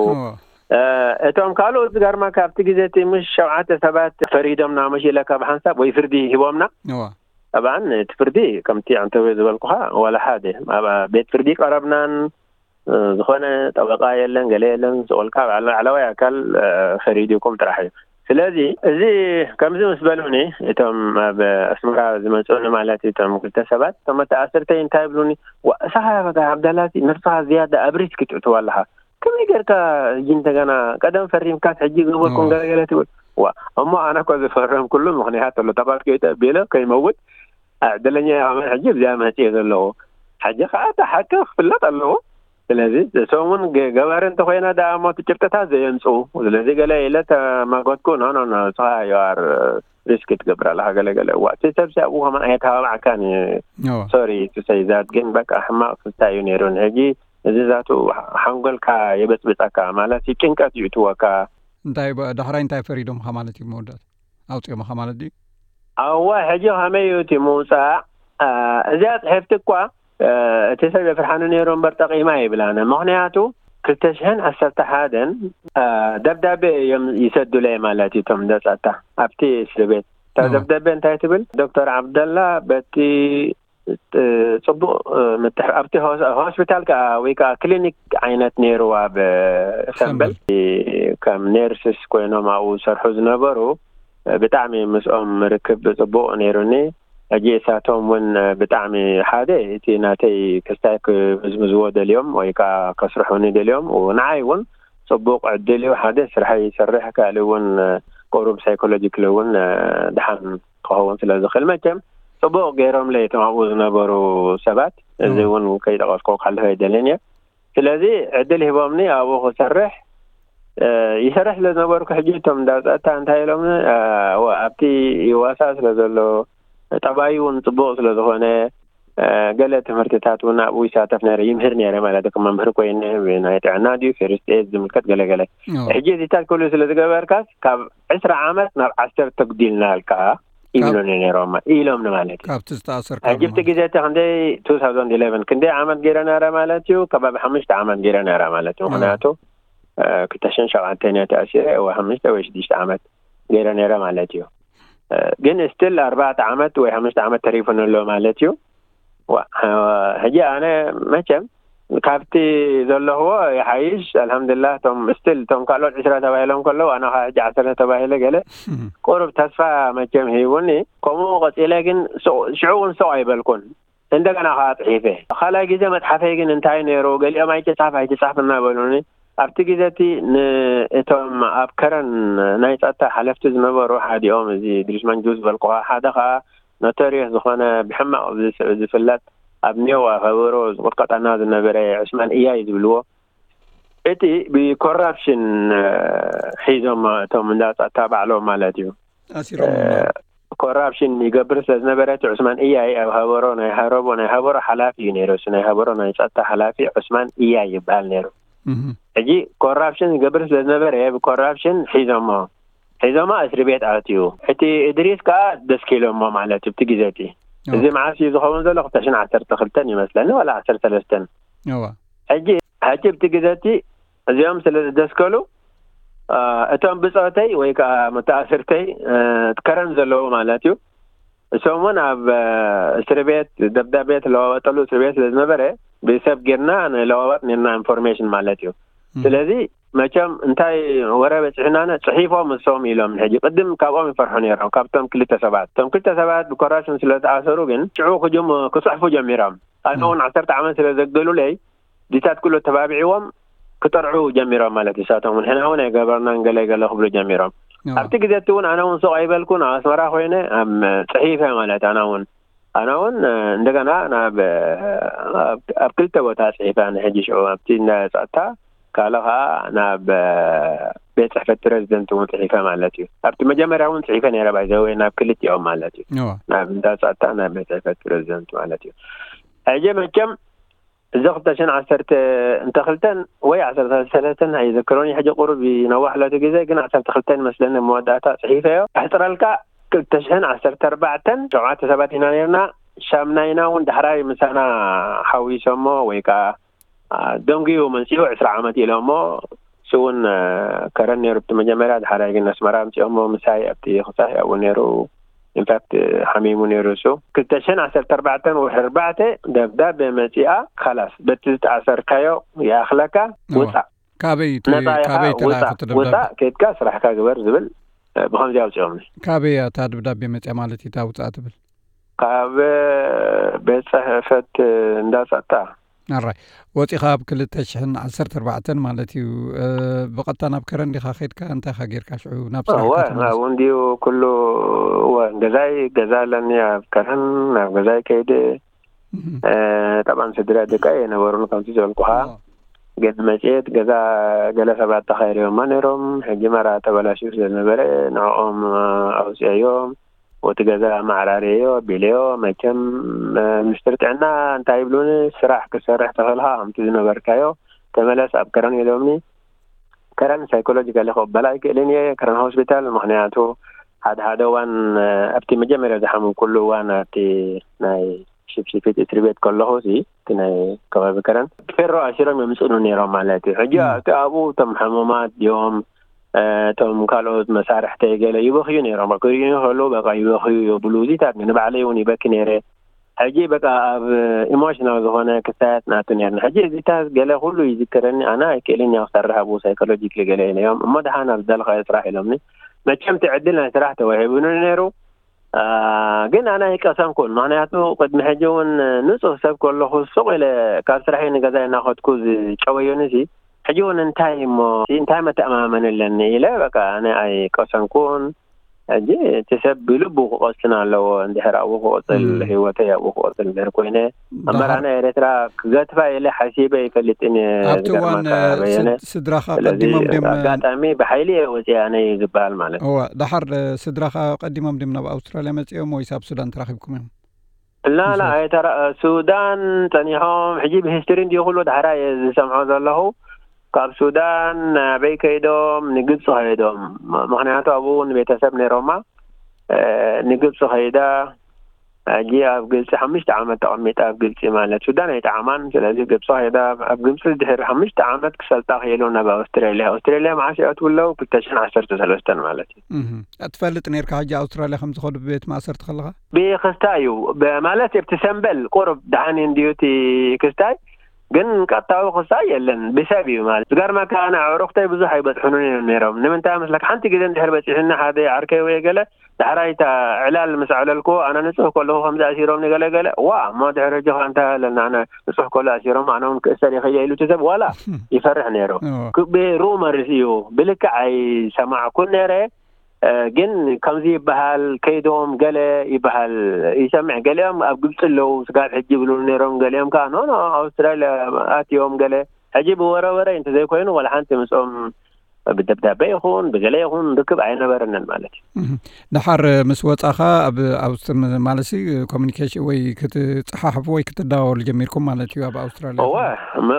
እቶም ካልኦት ዝገርማ ካብቲ ግዜ እቲ ምሽ ሸውዓተ ሰባት ፈሪዶምና ምሽ ኢለካ ብሓንሳብ ወይ ፍርዲ ሂቦምና። ጠብዓን እቲ ፍርዲ ከምቲ ኣንተወ ዝበልኩኻ ዋላ ሓደ ኣብ ቤት ፍርዲ ቀረብናን ዝኾነ ጠበቃ የለን፣ ገለ የለን። ዝቆልካ ላዕለዋይ ኣካል ፈሪድኩም ጥራሕ እዩ። ስለዚ እዚ ከምዚ ምስ በሉኒ እቶም ኣብ ኣስመራ ዝመፅኡኒ ማለት እዩ፣ እቶም ክልተ ሰባት እቶም መተኣስርተይ እንታይ ይብሉኒ፣ ዋ እሳኻ በቃ ዓብዳላቲ ነብስኻ ዝያዳ ኣብ ሪስክ ትእትዋ ኣለኻ። ከመይ ጌርካ ሕጂ እንደገና ቀደም ፈሪምካስ ሕጂ ገበርኩም ገለገለ ትብል። ዋ እሞ ኣነ እኮ ዝፈረምኩሉ ምኽንያት ኣሎ። ጠባስ ከይተ ቢለ ከይመውት ዕድለኛ እየ። ከመይ ሕጂ እዚኣ መፅየ ዘለኹ ሕጂ ከዓ እቲ ሓቂ ክፍለጥ ኣለዎ። ስለዚ እቶም እውን ገባሪ እንተኮይና ደኣ እሞ እቲ ጭብጥታት ዘየምፅኡ ስለዚ ገለ ኢለ ተማጎትኩ። ኖ ኖ ኖ እስኻ ዩ ኣር ሪስክ ትገብር ኣለኻ ገለገለ። እዋ እቲ ሰብ ሲኣብኡ ከማን ኣየተባባዕካን እዩ። ሶሪ ቱ ሰይ ዛት ግን በቃ ሕማቕ ስታ እዩ ነይሩን ሕጂ እዚ ዛቱ ሓንጎልካ የበፅብፀካ ማለት እዩ፣ ጭንቀት ይእትወካ። እንታይ ዳሕራይ እንታይ ፈሪዶምካ ማለት እዩ? መወዳእታ ኣውፂኦምካ ማለት ድዩ? ኣዋ ሕጂ ከመይ እዩ እቲ ምውፃእ? እዚኣ ፅሕፍቲ እኳ እቲ ሰብ የፍርሓኒ ነይሩ እምበር ጠቒማ ይብላነ። ምኽንያቱ ክልተ ሽሕን ዓሰርተ ሓደን ደብዳቤ እዮም ይሰዱለይ ማለት እዩ። እቶም ደፃታ ኣብቲ እስር ቤት እታ ደብዳቤ እንታይ ትብል? ዶክተር ዓብደላ በቲ ፅቡቅ ምትሕ ኣብቲ ሆስፒታል ከዓ ወይ ከዓ ክሊኒክ ዓይነት ነይሩ ኣብ ሰንበል ከም ኔርስስ ኮይኖም ኣብኡ ዝሰርሑ ዝነበሩ ብጣዕሚ ምስኦም ርክብ ፅቡቅ ነይሩኒ። ሕጂ እሳቶም እውን ብጣዕሚ ሓደ እቲ ናተይ ክስታይ ክምዝምዝዎ ደልዮም ወይ ከዓ ከስርሑኒ ደልዮም ንዓይ እውን ፅቡቅ ዕድል እዩ። ሓደ ስርሐይ ይሰርሕ ካልእ እውን ቁሩብ ሳይኮሎጂክሊ እውን ድሓን ክኸውን ስለ ዝኽእል መቸም ፅቡቕ ገይሮምለይ እቶም ኣብኡ ዝነበሩ ሰባት። እዚ እውን ከይጠቐስኩ ክሓልፍ ኣይደልን እየ። ስለዚ ዕድል ሂቦምኒ ኣብኡ ክሰርሕ ይሰርሕ ስለ ዝነበርኩ ሕጂ እቶም እንዳ ፀጥታ እንታይ ኢሎምኒ ኣብቲ ይዋሳእ ስለ ዘሎ ጠባዩ እውን ፅቡቕ ስለ ዝኾነ ገለ ትምህርትታት እውን ኣብኡ ይሳተፍ ነረ ይምህር ነረ ማለት ከም መምህር ኮይነ ናይ ጥዕና ድዩ ፌርስት ኤድ ዝምልከት ገለገለ ሕጂ እዚታት ክሉ ስለ ዝገበርካስ ካብ ዕስራ ዓመት ናብ ዓሰርተ ተጉዲልና ኣልካ ይብሉኒ ነይሮም ኢሎምኒ ማለት እዩ። ካብቲ ዝተኣሰርካ ሕጂ ኣብቲ ግዜ እቲ ክንደይ two thousand eleven ክንደይ ዓመት ገይረ ነረ ማለት እዩ። ከባቢ ሓሙሽተ ዓመት ገይረ ነረ ማለት እዩ። ምክንያቱ ክልተ ሽሕን ሸውዓተን እየ ተኣሲረ ወይ ሓሙሽተ ወይ ሽዱሽተ ዓመት ገይረ ነረ ማለት እዩ። ግን ስትል ኣርባዕተ ዓመት ወይ ሓሙሽተ ዓመት ተሪፉኒ ኣሎ ማለት እዩ። ሕጂ ኣነ መቸም ካብቲ ዘለኽዎ ይሓይሽ ኣልሓምዱላ። እቶም ስትል እቶም ካልኦት ዕስራ ተባሂሎም ከለዉ ኣነ ከዓ ሕጂ ዓሰርተ ተባሂለ ገለ ቁሩብ ተስፋ መቸም ሂቡኒ። ከምኡ ቀፂለ ግን ሽዑ እውን ሶቕ ኣይበልኩን። እንደገና ከዓ ፅሒፈ ካልኣይ ግዜ መፅሓፈይ ግን እንታይ ነይሩ ገሊኦም ኣይትፃፍ ኣይትፃፍ እናበሉኒ ኣብቲ ግዜ እቲ ንእቶም ኣብ ከረን ናይ ፀጥታ ሓለፍቲ ዝነበሩ ሓዲኦም እዚ ድሪሽማን ጁስ ዝበልኩኻ ሓደ ከዓ ኖቶሪየስ ዝኾነ ብሕማቕ ዝፍለጥ ኣብ ኔዋ ከበሮ ዝቁጥቀጠና ዝነበረ ዕስማን እያይ ዝብልዎ እቲ ብኮራፕሽን ሒዞም እቶም እንዳ ፀጥታ ባዕሎም ማለት እዩ። ኮራፕሽን ይገብር ስለ ዝነበረ እቲ ዑስማን እያይ ኣብ ሃበሮ ናይ ሃረቦ ናይ ሃበሮ ሓላፊ እዩ ነይሩ። እሱ ናይ ሃበሮ ናይ ፀጥታ ሓላፊ ዑስማን እያይ ይበሃል ነይሩ። ሕጂ ኮራፕሽን ይገብር ስለ ዝነበረ ብኮራፕሽን ሒዞሞ ሒዞማ እስሪ ቤት ኣትዩ። እቲ እድሪስ ከዓ ደስኪሎሞ ማለት እዩ። እቲ ግዜ እቲ እዚ መዓስ እዩ ዝኸውን ዘሎ ክልተ ሽሕን ዓሰርተ ክልተን ይመስለኒ ዋላ ዓሰርተ ሰለስተን። ሕጂ ሕጂ ኣብቲ ግዜ እቲ እዚኦም ስለ ዝደስከሉ እቶም ብፆተይ ወይ ከዓ መተኣስርተይ ከረን ዘለዉ ማለት እዩ። እሶም እውን ኣብ እስር ቤት ደብዳቤ ትለዋወጠሉ እስር ቤት ስለ ዝነበረ ብሰብ ጌርና ንለዋወጥ ኔርና ኢንፎርሜሽን ማለት እዩ። ስለዚ መቸም እንታይ ወረ በፂሑና ጽሒፎም እሶም ኢሎም ሕጂ ቅድም ካብኦም ይፈርሑ ነይሮም ካብቶም ክልተ ሰባት እቶም ክልተ ሰባት ብኮራፕሽን ስለ ዝኣሰሩ ግን ሽዑ ክጅም ክፅሕፉ ጀሚሮም። ኣነ እውን ዓሰርተ ዓመት ስለ ዘገሉለይ ዲታት ኩሉ ተባቢዕዎም ክጠርዑ ጀሚሮም ማለት እዩ። ንሳቶም እውን ሕና እውን ኣይገበርናን ገለ ገለ ክብሉ ጀሚሮም። ኣብቲ ግዜ እቲ እውን ኣነ እውን ሱቕ ኣይበልኩ ናብ ኣስመራ ኮይነ ኣብ ፅሒፈ ማለት ኣነ እውን ኣነ እውን እንደገና ናብ ኣብ ክልተ ቦታ ፅሒፈ ኣነ ሕጂ ሽዑ ኣብቲ እንዳ ጸጥታ ካልእ ከዓ ናብ ቤት ፅሕፈት ፕረዚደንት እውን ፅሒፈ ማለት እዩ። ኣብቲ መጀመርያ እውን ፅሒፈ ነይረ ባይዘወይ ናብ ክልቲኦም ማለት እዩ። ናብ እንዳ ጸጥታ ናብ ቤት ፅሕፈት ፕረዚደንት ማለት እዩ። ሕጂ መቸም እዚ ክልተ ሽሕን ዓሰርተ እንተ ክልተን ወይ ዓሰርተ ሰለስተን ኣይዝክሮን ሕጂ ቁሩብ ይነዋሕ ለቲ ግዜ ግን ዓሰርተ ክልተን መስለኒ መወዳእታ ፅሒፈዮ ኣሕፅረልካ ክልተ ሽሕን ዓሰርተ ኣርባዕተን ሸውዓተ ሰባት ኢና ነርና። ሻምናይና እውን ዳሕራይ ምሳና ሓዊሶሞ ወይ ከዓ ደንጉዩ መንፅኡ ዕስራ ዓመት ኢሎሞ እሱ እውን ከረን ነይሩ እቲ መጀመርያ። ድሓራይ ግን ኣስመራ ኣምፅኦሞ ምሳይ ኣብቲ ክሳይ ኣብኡ ነይሩ። ኢንፋክት ሓሚሙ ነይሩ እሱ። ክልተ ሽሕን ዓሰርተ ኣርባዕተን ወርሒ ኣርባዕተ ደብዳቤ መፂኣ። ካላስ በቲ ዝተኣሰርካዮ ይኣኽለካ፣ ውፃእ። ካበይ ካበይ ተላእኹ ደብዳቤ? ኬድካ ስራሕካ ግበር ዝብል ብኸምዚ ኣውፅኦምኒ። ካበይ እያ እታ ደብዳቤ መፅያ ማለት እዩ እታ ውፃእ ትብል? ካብ ቤት ፅሕፈት እንዳፀጥታ። ኣራይ ወፂኻ ኣብ ክልተ ሽሕን ዓሰርተ ኣርባዕተን ማለት እዩ። ብቐጥታ ናብ ከረን ዲኻ ኸድካ? እንታይ ኻ ጌርካ ሽዑ ናብ ስራሕካ ተመለስ? እንዲዩ ኩሉ። እወ ገዛይ ገዛ ኣለኒ ኣብ ከረን። ናብ ገዛይ ከይደ ጠብዓን ስድራ ደቃ የነበሩን ከምቲ ዝበልኩኻ። ግን መፅየት ገዛ ገለ ሰባት ተኻይረዮማ ነይሮም። ሕጂ መራ ተበላሽዩ ስለዝነበረ ንዕኦም ኣውፅአዮም። ወቲ ገዛ ማዕራርየዮ ኣቢለዮ። መቸም ሚኒስትር ጥዕና እንታይ ይብሉኒ፣ ስራሕ ክሰርሕ ተኽእልካ ከምቲ ዝነበርካዮ ተመለስ ኣብ ከረን ኢሎምኒ። ከረን ሳይኮሎጂካሊ ክቕበል ኣይክእልን እየ ከረን ሆስፒታል። ምክንያቱ ሓደ ሓደ እዋን ኣብቲ መጀመርያ ዝሓመምኩሉ እዋን ኣብቲ ናይ ሽፍሽፊት እስሪ ቤት ከለኹ ሲ እቲ ናይ ከባቢ ከረን ፌሮ ኣሲሮም የምፅእኑ ነይሮም ማለት እዩ። ሕጂ ኣብኡ እቶም ሕሙማት ድዮም እቶም ካልኦት መሳርሕተይ ገለ ይበኽዩ ነይሮም። ክርእዩ ከለዉ በቃ ይበኽዩ የብሉ። እዚታት ንባዕለይ እውን ይበኪ ነይረ። ሕጂ በቃ ኣብ ኢሞሽናል ዝኾነ ክስታያት ናቱ ነርና። ሕጂ እዚታት ገለ ኩሉ ይዝክረኒ። ኣነ ኣይክእልን እየ ክሰርሕ ኣብኡ ሳይኮሎጂክሊ ገለ ኢለዮም እሞ ደሓን ኣብ ዝደለኻዮ ስራሕ ኢሎምኒ። መቸም እቲ ዕድል ናይ ስራሕ ተዋሂቡኒ ነይሩ። ግን ኣነ ኣይቀሰንኩን። ምክንያቱ ቅድሚ ሕጂ እውን ንፁህ ሰብ ከለኹ ሱቕ ኢለ ካብ ስራሐይ ንገዛይ እናኸድኩ ዝጨወዩኒ ሲ ሕጂ እውን እንታይ እሞ እንታይ መተኣማመኒ ኣለኒ ኢለ በቃ ኣነ ኣይቀሰንኩን። ሕጂ እቲ ሰብ ብልቡ ክቐስን ኣለዎ። እንድሕር ኣብኡ ክቐፅል ህይወተይ ኣብኡ ክቐፅል እንድሕር ኮይነ ኣመራና ኤርትራ ክገትፋ ኢለ ሓሲበ ይፈልጥን እየ። ኣብቲ እዋን ዝገርመካ በየነ ስድራኻ ስለዚ ቀዲሞም ድም ኣጋጣሚ ብሓይሊ እየ ወፅየ ኣነ እዩ ዝበሃል ማለት እወ። ዳሓር ስድራኻ ቀዲሞም ድም ናብ ኣውስትራልያ መፂኦም ወይስ ኣብ ሱዳን ተራኺብኩም እዮም? ላላ ኣይተራ ሱዳን ፀኒሖም ሕጂ ብሂስትሪ እንዲዩ ኩሉ ዳሕራ እየ ዝሰምዖ ዘለኹ። ካብ ሱዳን ኣበይ ከይዶም? ንግብፂ ከይዶም። ምክንያቱ ኣብኡ እውን ቤተሰብ ነይሮማ። ንግብፂ ከይዳ ሕጂ ኣብ ግብፂ ሓሙሽተ ዓመት ተቐሚጣ ኣብ ግብፂ ማለት ሱዳን ኣይጠዓማን። ስለዚ ግብፂ ከይዳ ኣብ ግብፂ ድሕሪ ሓሙሽተ ዓመት ክሰልጣ ክኢሉ ናብ ኣውስትራልያ። ኣውስትራልያ መዓስ ይኣትዉ ኣለዉ? ክልተ ሽሕን ዓሰርተ ሰለስተን ማለት እዩ። ትፈልጥ ነርካ ሕጂ ኣውስትራልያ ከም ዝኸዱ ብቤት ማእሰርቲ ከለኻ? ብክስታ እዩ ማለት ኣብቲ ሰንበል ቁሩብ ደሓን እንድዩ እቲ ክስታይ ግን ቀጥታዊ ክስታይ የለን ብሰብ እዩ ማለት ዝገርመካ ኣነ ኣዕሩኽተይ ብዙሕ ኣይበፅሑንን እዮም ነይሮም ንምንታይ መስለካ ሓንቲ ግዜ እንድሕር በፂሑኒ ሓደ ዓርከይ ወይ ገለ ዳሕራይ እታ ዕላል ምስ ኣዕለልኩዎ ኣነ ንፁህ ከለኹ ከምዚ ኣሲሮምኒ ገለ ገለ ዋ እሞ ድሕሪ ሕጂ ከ እንታይ ኣለና ኣነ ንፁህ ከሎ ኣሲሮም ኣነ እውን ክእሰር ይኽእል እየ ኢሉ እቲ ሰብ ዋላ ይፈርሕ ነይሩ ብሩመርስ እዩ ብልክዕ ኣይሰማዕኩን ነይረ ግን ከምዚ ይበሃል ከይዶም ገለ ይበሃል ይሰምዕ ገሊኦም ኣብ ግብፂ ኣለዉ ስጋብ ሕጂ ይብሉ ነይሮም ገሊኦም ከዓ ኖ ኖ ኣውስትራልያ ኣትዮም ገለ ሕጂ ብወረ ወረ እንተዘይኮይኑ ዋላ ሓንቲ ምስኦም ብደብዳቤ ይኹን ብገለ ይኹን ርክብ ኣይነበረንን ማለት እዩ። ደሓር ምስ ወፃኻ ኣብ ኣውስትር ማለት ኮሚኒኬሽን ወይ ክትፀሓሕፉ ወይ ክትደዋወሉ ጀሚርኩም ማለት እዩ ኣብ ኣውስትራልያ? እወ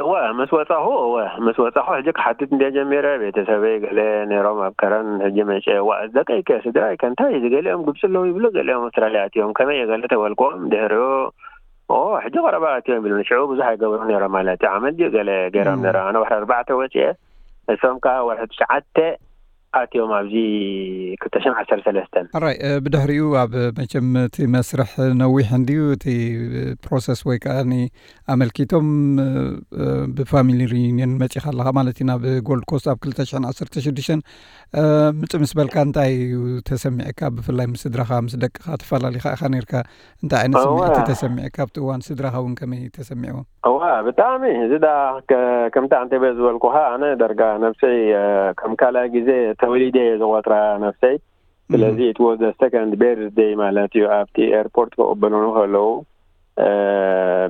እወ ምስ ወፃኹ እወ ምስ ወፃኹ ሕጂ ክሓትት እንደ ጀሚረ ቤተሰበይ ገለ ነይሮም ኣብ ከረን ሕጂ መጨ ዋ ደቀይ ከ ስድራይ ከ እንታይ እዚ ገሊኦም ግብፂ ኣለዉ ይብሉ ገሊኦም ኣውስትራልያ ኣትዮም ከመይ እየ ገለ ተበልክዎም ድሕሪኡ ኦ ሕጂ ቀረባ ኣትዮም ይብሉኒ ሽዑ ብዙሕ ኣይገብሩ ነይሮም ማለት እዩ ዓመት ድዩ ገለ ገይሮም ነይሮም ኣነ ወርሒ ኣርባዕተ ወፅየ እሶም ከዓ ወርሒ ትሽዓተ ኣትዮም ኣብዚ ክልተ ሽሕን ዓሰርተ ሰለስተን። ሕራይ ብድሕሪኡ ኣብ መቸም እቲ መስርሕ ነዊሕ እንድዩ እቲ ፕሮሰስ ወይ ከዓ ኣመልኪቶም ብፋሚሊ ሪዩኒየን መፂኻ ኣለኻ ማለት እዩ ናብ ጎልድ ኮስት ኣብ ክልተ ሽሕን ዓሰርተ ሽዱሽተን ምፅ ምስ በልካ እንታይ እዩ ተሰሚዕካ ብፍላይ ምስ ስድራኻ ምስ ደቅኻ ተፈላሊኻ ኢኻ ነርካ እንታይ ዓይነት ስምዒት ተሰሚዕካ ኣብቲ እዋን ስድራኻ እውን ከመይ ተሰሚዕዎም? እዋ ብጣዕሚ እዚ ዳ ከምቲ ኣንተበ ዝበልኩኻ ኣነ ደርጋ ነብሰይ ከም ካልኣይ ግዜ ተወሊደ እየ ዝቆጥራ ነብሰይ ስለዚ it was the second birthday ማለት እዩ ኣብቲ ኤርፖርት ክቕበሉኒ ከለዉ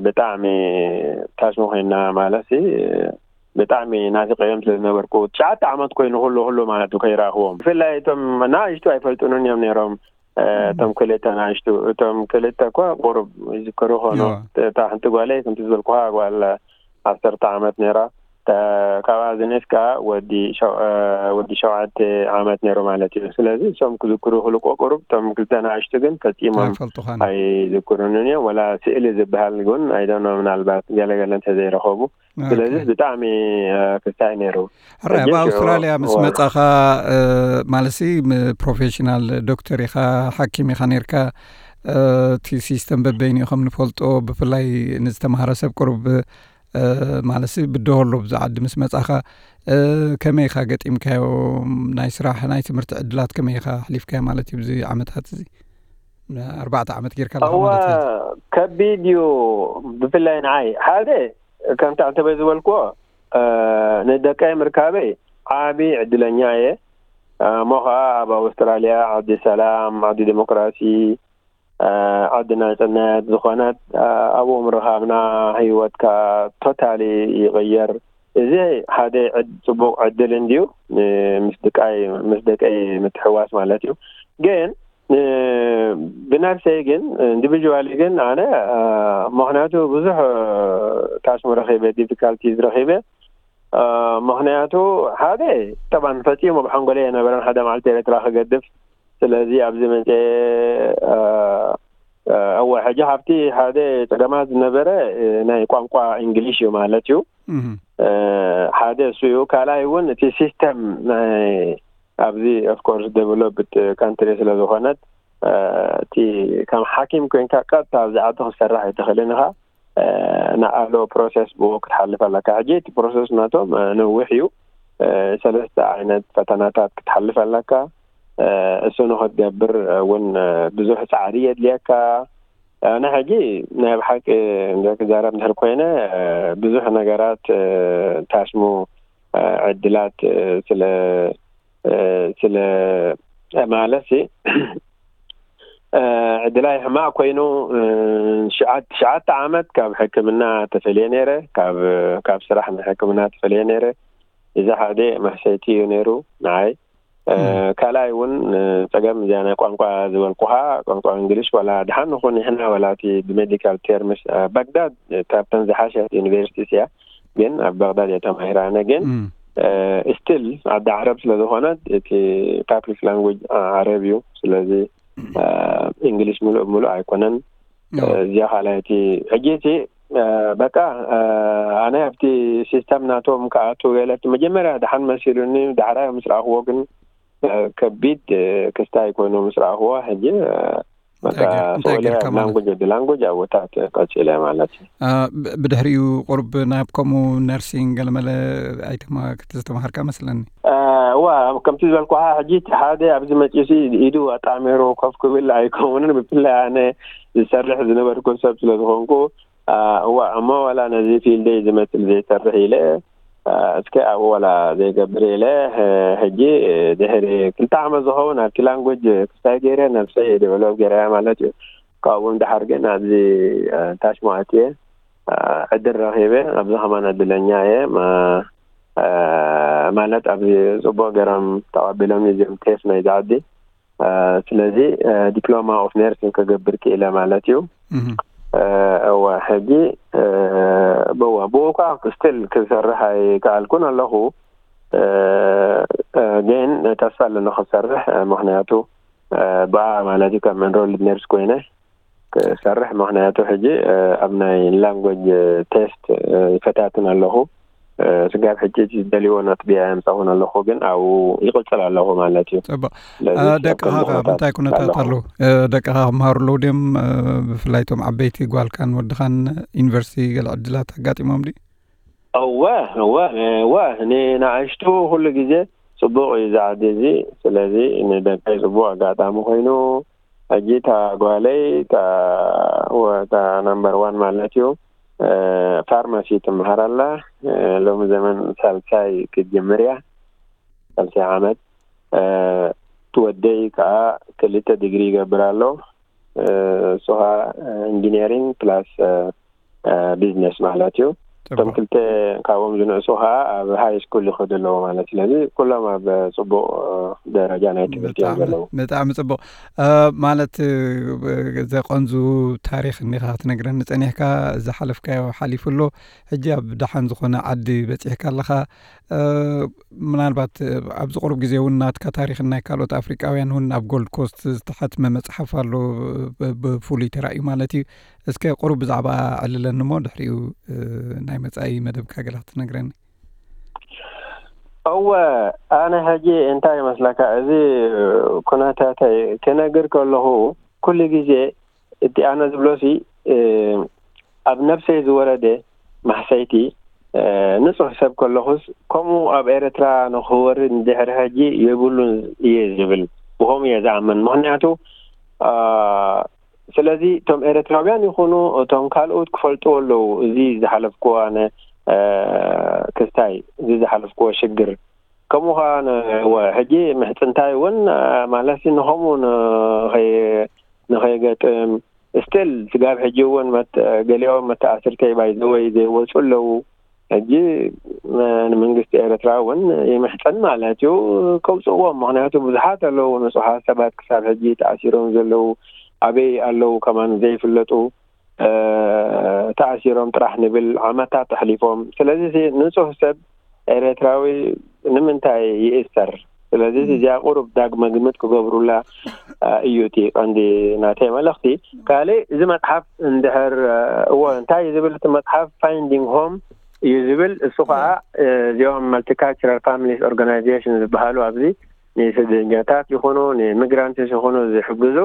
ብጣዕሚ ታሽሙ ኮይና ማለት ብጣዕሚ ናፊቀዮም ስለ ዝነበርኩ ትሽዓተ ዓመት ኮይኑ ኩሉ ኩሉ ማለት እዩ ከይረኣኽዎም ብፍላይ እቶም ናእሽቱ ኣይፈልጡንን እዮም ነይሮም እቶም ክልተ ናእሽቱ እቶም ክልተ እኳ ቁሩብ ይዝከሩ ኾኖ እታ ሓንቲ ጓለይ ከምቲ ዝበልኩኻ ጓል ዓሰርተ ዓመት ነይራ ካብኣ ዝንእስ ከዓ ወዲ ሸው- ወዲ ሸውዓተ ዓመት ነይሩ ማለት እዩ። ስለዚ እሶም ክዝክሩ ክልቆ ቁሩብ እቶም ክልተ ንኣሽቱ ግን ፈፂሞም ኣይፈልጡኻን። ኣይዝክሩንን እዮም። ወላ ስእሊ ዝበሃል እውን ኣይደኖ ምናልባት ገለገለ እንተዘይረኸቡ። ስለዚ ብጣዕሚ ክስታይ ነይሩ። ሕራይ ኣብ ኣውስትራልያ ምስ መጻኻ ማለሲ ፕሮፌሽናል ዶክተር ኢኻ፣ ሓኪም ኢኻ ነርካ። እቲ ሲስተም በበይኑ ኢኹም ንፈልጦ፣ ብፍላይ ንዝተማሃረ ሰብ ቅሩብ ማለሲ ብድሆ ኣሎ። ብዚ ዓዲ ምስ መጻኻ ከመይ ኢኻ ገጢምካዮ? ናይ ስራሕ ናይ ትምህርቲ ዕድላት ከመይ ኢኻ ኣሕሊፍካዮ ማለት እዩ? ብዚ ዓመታት እዚ ኣርባዕተ ዓመት ጌርካ ኣለኻ ማለት እዩ። ከቢድ እዩ። ብፍላይ ንዓይ ሓደ ከምቲ ኣንተበይ ዝበልክዎ ንደቀይ ምርካበይ ዓቢ ዕድለኛ እየ። እሞ ኸዓ ኣብ ኣውስትራልያ ዓዲ ሰላም፣ ዓዲ ዲሞክራሲ፣ ዓዲ ናጽነት ዝኾነት ኣብኡ ምርኻብና ህይወትካ ቶታሊ ይቕየር። እዚ ሓደ ጽቡቕ ዕድል እንድዩ ምስ ደቀይ ምስ ደቀይ ምትሕዋስ ማለት እዩ። ግን ብነፍሰይ ግን ኢንዲቪጁዋሊ ግን ኣነ ምኽንያቱ ብዙሕ ታስሙ ረኺበ ዲፊካልቲዝ ረኺበ። ምኽንያቱ ሓደ ጠባን ፈጺሙ ብሓንጎለይ የነበረን ሓደ መዓልቲ ኤርትራ ክገድፍ። ስለዚ ኣብዚ መጽ እወ ሕጂ ካብቲ ሓደ ጸገማት ዝነበረ ናይ ቋንቋ እንግሊሽ እዩ ማለት እዩ። ሓደ እሱ እዩ። ካልኣይ እውን እቲ ሲስተም ናይ ኣብዚ ኦፍኮርስ ዴቨሎፕድ ካንትሪ ስለ ዝኾነት እቲ ከም ሓኪም ኮይንካ ቀጥታ ኣብዚ ዓዲ ክትሰርሕ ኣይትኽእልን ኢኻ። ንኣሎ ፕሮሰስ ብኡ ክትሓልፍ ኣለካ። ሕጂ እቲ ፕሮሰስ ናቶም ነዊሕ እዩ። ሰለስተ ዓይነት ፈተናታት ክትሓልፍ ኣለካ። እሱ ንክትገብር እውን ብዙሕ ፃዕሪ የድልየካ። ኣነ ሕጂ ናይ ብሓቂ ክዛረብ እንድሕር ኮይነ ብዙሕ ነገራት ታሽሙ ዕድላት ስለ ስለ ማለት ዕድላይ ሕማቅ ኮይኑ ትሽዓተ ዓመት ካብ ሕክምና ተፈልየ ነይረ። ካብ ስራሕ ናይ ሕክምና ተፈልየ ነይረ። እዚ ሓደ መሕሰይቲ እዩ ነይሩ ንዓይ። ካልኣይ እውን ጸገም እዚኣ ናይ ቋንቋ ዝበልኩኻ ቋንቋ እንግሊሽ ዋላ ድሓን ንኹን ንሕና ዋላ እቲ ብሜዲካል ቴርምስ ባግዳድ ካብተን ዝሓሸት ዩኒቨርሲቲስ እያ። ግን ኣብ ባግዳድ እየ ተማሂረ ኣነ። ግን ስቲል ዓዲ ዓረብ ስለ ዝኾነት እቲ ፓብሊክ ላንጉጅ ዓረብ እዩ። ስለዚ እንግሊሽ ሙሉእ ሙሉእ ኣይኮነን። እዚኣ ካልኣይቲ። ሕጂ እቲ በቃ ኣነ ኣብቲ ሲስተም ናቶም ክኣቱ ገለ እቲ መጀመርያ ድሓን መሲሉኒ። ዳሕራይ ምስ ረኣኽዎ ግን ከቢድ ክስታይ ኮይኑ ምስ ረኣኽዎ ሕጂ በቃ እንታይ ጌርካ ማለት ላንጉጅ ወዲ ላንጉጅ ኣብታት ቀፂለ ማለት እዩ። ብድሕሪኡ ቁሩብ ናብ ከምኡ ነርሲንግ ገለመለ ኣይተማ- ዝተማሃርካ መስለኒ። እዋ ከምቲ ዝበልኩኻ ሕጂ እቲ ሓደ ኣብዚ መፂኡ ኢዱ ኣጣሚሩ ኮፍ ክብል ኣይከውንን። ብፍላይ ኣነ ዝሰርሕ ዝነበርኩ ሰብ ስለ ዝኾንኩ እዋ እሞ ዋላ ነዚ ፊልደይ ዝመስል ዘይሰርሕ ኢለ እስከ ኣብኡ ዋላ ዘይገብር ኢለ ሕጂ ድሕሪ ክልተ ዓመት ዝኸውን ኣብቲ ላንጉጅ ክስታይ ገይረ ነብሰይ ዴቨሎፕ ገይረያ ማለት እዩ። ካብኡ ድሓር ግን ኣብዚ ታሽሙ ኣትየ ዕድል ረኺበ። ኣብዚ ከማን ዕድለኛ እየ። ማለት ኣብዚ ጽቡቕ ገይሮም ተቐቢሎም እዚኦም ቴፍ ናይዚ ዓዲ። ስለዚ ዲፕሎማ ኦፍ ነርሲንግ ክገብር ክኢለ ማለት እዩ። እወ ሕጂ ብዋ ብኡ ከዓ ስቲል ክሰርሕ ኣይከኣልኩን ኣለኹ። ግን ተስፋ ኣለኒ ክሰርሕ። ምክንያቱ ብኣ ማለት እዩ ከም ኤንሮልድ ነርስ ኮይነ ክሰርሕ። ምክንያቱ ሕጂ ኣብ ናይ ላንጉጅ ቴስት ይፈታትን ኣለኹ። ስጋብ ሕጂ ዝደልዎ ነጥቢ ኣየምፀኹን ኣለኹ፣ ግን ኣብኡ ይቕፅል ኣለኹ ማለት እዩ። ፅቡቅ። ስለዚ ደቅኻ ከ ምንታይ ኩነታት ኣለዉ? ደቅኻ ክመሃሩ ኣለዉ ድዮም? ብፍላይ እቶም ዓበይቲ ጓልካን ወድኻን ዩኒቨርሲቲ ገለ ዕድላት ኣጋጢሞም ድዩ? እወ እወ እወ ንንኣሽቱ ኩሉ ግዜ ጽቡቕ እዩ እዚ ዓዲ እዚ። ስለዚ ንደቀይ ጽቡቕ ኣጋጣሚ ኮይኑ ሕጂ እታ ጓለይ እታ ወ- እታ ናምበር ዋን ማለት እዩ ፋርማሲ ትመሃር ኣላ። ሎሚ ዘመን ሳልሳይ ክትጅምር እያ። ሳልሳይ ዓመት። እቲ ወደይ ከዓ ክልተ ዲግሪ ይገብር ኣሎ። እሱ ከዓ ኢንጂነሪንግ ፕላስ ቢዝነስ ማለት እዩ። እቶም ክልተ ካብኦም ዝንእሱ ከዓ ኣብ ሃይ ስኩል ይኸዱ ኣለዉ ማለት። ስለዚ ኩሎም ኣብ ፅቡቅ ደረጃ ናይ ትምህርቲ እዮም ዘለዉ። ብጣዕሚ ጽቡቕ። ማለት ዘቐንዙ ታሪኽ እኒኻ ክትነግረኒ ጸኒሕካ፣ ዝሓለፍካዮ ሓሊፉ ኣሎ። ሕጂ ኣብ ደሓን ዝኾነ ዓዲ በጺሕካ ኣለኻ። ምናልባት ኣብዚ ቁሩብ ግዜ እውን ናትካ ታሪኽን ናይ ካልኦት ኣፍሪቃውያን እውን ኣብ ጎልድ ኮስት ዝተሓትመ መጽሓፍ ኣሎ፣ ብፍሉይ ተራእዩ ማለት እዩ። እስከ ቁሩብ ብዛዕባ ዕልለኒ እሞ ድሕሪኡ ናይ መጻኢ መደብካ ገለ ክትነግረኒ። እወ፣ ኣነ ሕጂ እንታይ ይመስለካ፣ እዚ ኩነታተይ ክነግር ከለኹ ኩሉ ግዜ እቲ ኣነ ዝብሎሲ ኣብ ነብሰይ ዝወረደ ማሕሰይቲ ንጹህ ሰብ ከለኹስ ከምኡ ኣብ ኤርትራ ንኽወርድ ንድሕሪ ሕጂ የብሉን እየ ዝብል፣ ብኸምኡ እየ ዝኣምን። ምኽንያቱ ስለዚ እቶም ኤርትራውያን ይኹኑ እቶም ካልኦት ክፈልጥዎ ኣለዉ። እዚ ዝሓለፍክዎ ኣነ ክስታይ እዚ ዝሓለፍክዎ ሽግር ከምኡ ኸዓ ሕጂ ምሕፅንታይ እውን ማለት ንኸምኡ ንኸይገጥም ስቲል ስጋብ ሕጂ እውን ገሊኦም መተኣስርተይ ባይዘወይ ዘይወፁ ኣለዉ። ሕጂ ንመንግስቲ ኤርትራ እውን ይምሕፀን ማለት እዩ ከውፅዎም። ምክንያቱ ብዙሓት ኣለዉ ንፁሓት ሰባት ክሳብ ሕጂ ተኣሲሮም ዘለዉ ኣበይ ኣለዉ ከማን ዘይፍለጡ ተኣሲሮም ጥራሕ ንብል ዓመታት ኣሕሊፎም። ስለዚ ንፁህ ሰብ ኤርትራዊ ንምንታይ ይእሰር? ስለዚ እዚኣ ቁሩብ ዳግመ ግምት ክገብሩላ እዩ እቲ ቀንዲ ናተይ መልእኽቲ። ካልእ እዚ መፅሓፍ እንድሕር እዎ እንታይ እዩ ዝብል እቲ መፅሓፍ ፋይንዲንግ ሆም እዩ ዝብል። እሱ ከዓ እዚኦም መልቲካልቸራል ፋሚሊስ ኦርጋናይዜሽን ዝበሃሉ ኣብዚ ንስደተኛታት ይኹኑ ንሚግራንትስ ይኹኑ ዝሕግዙ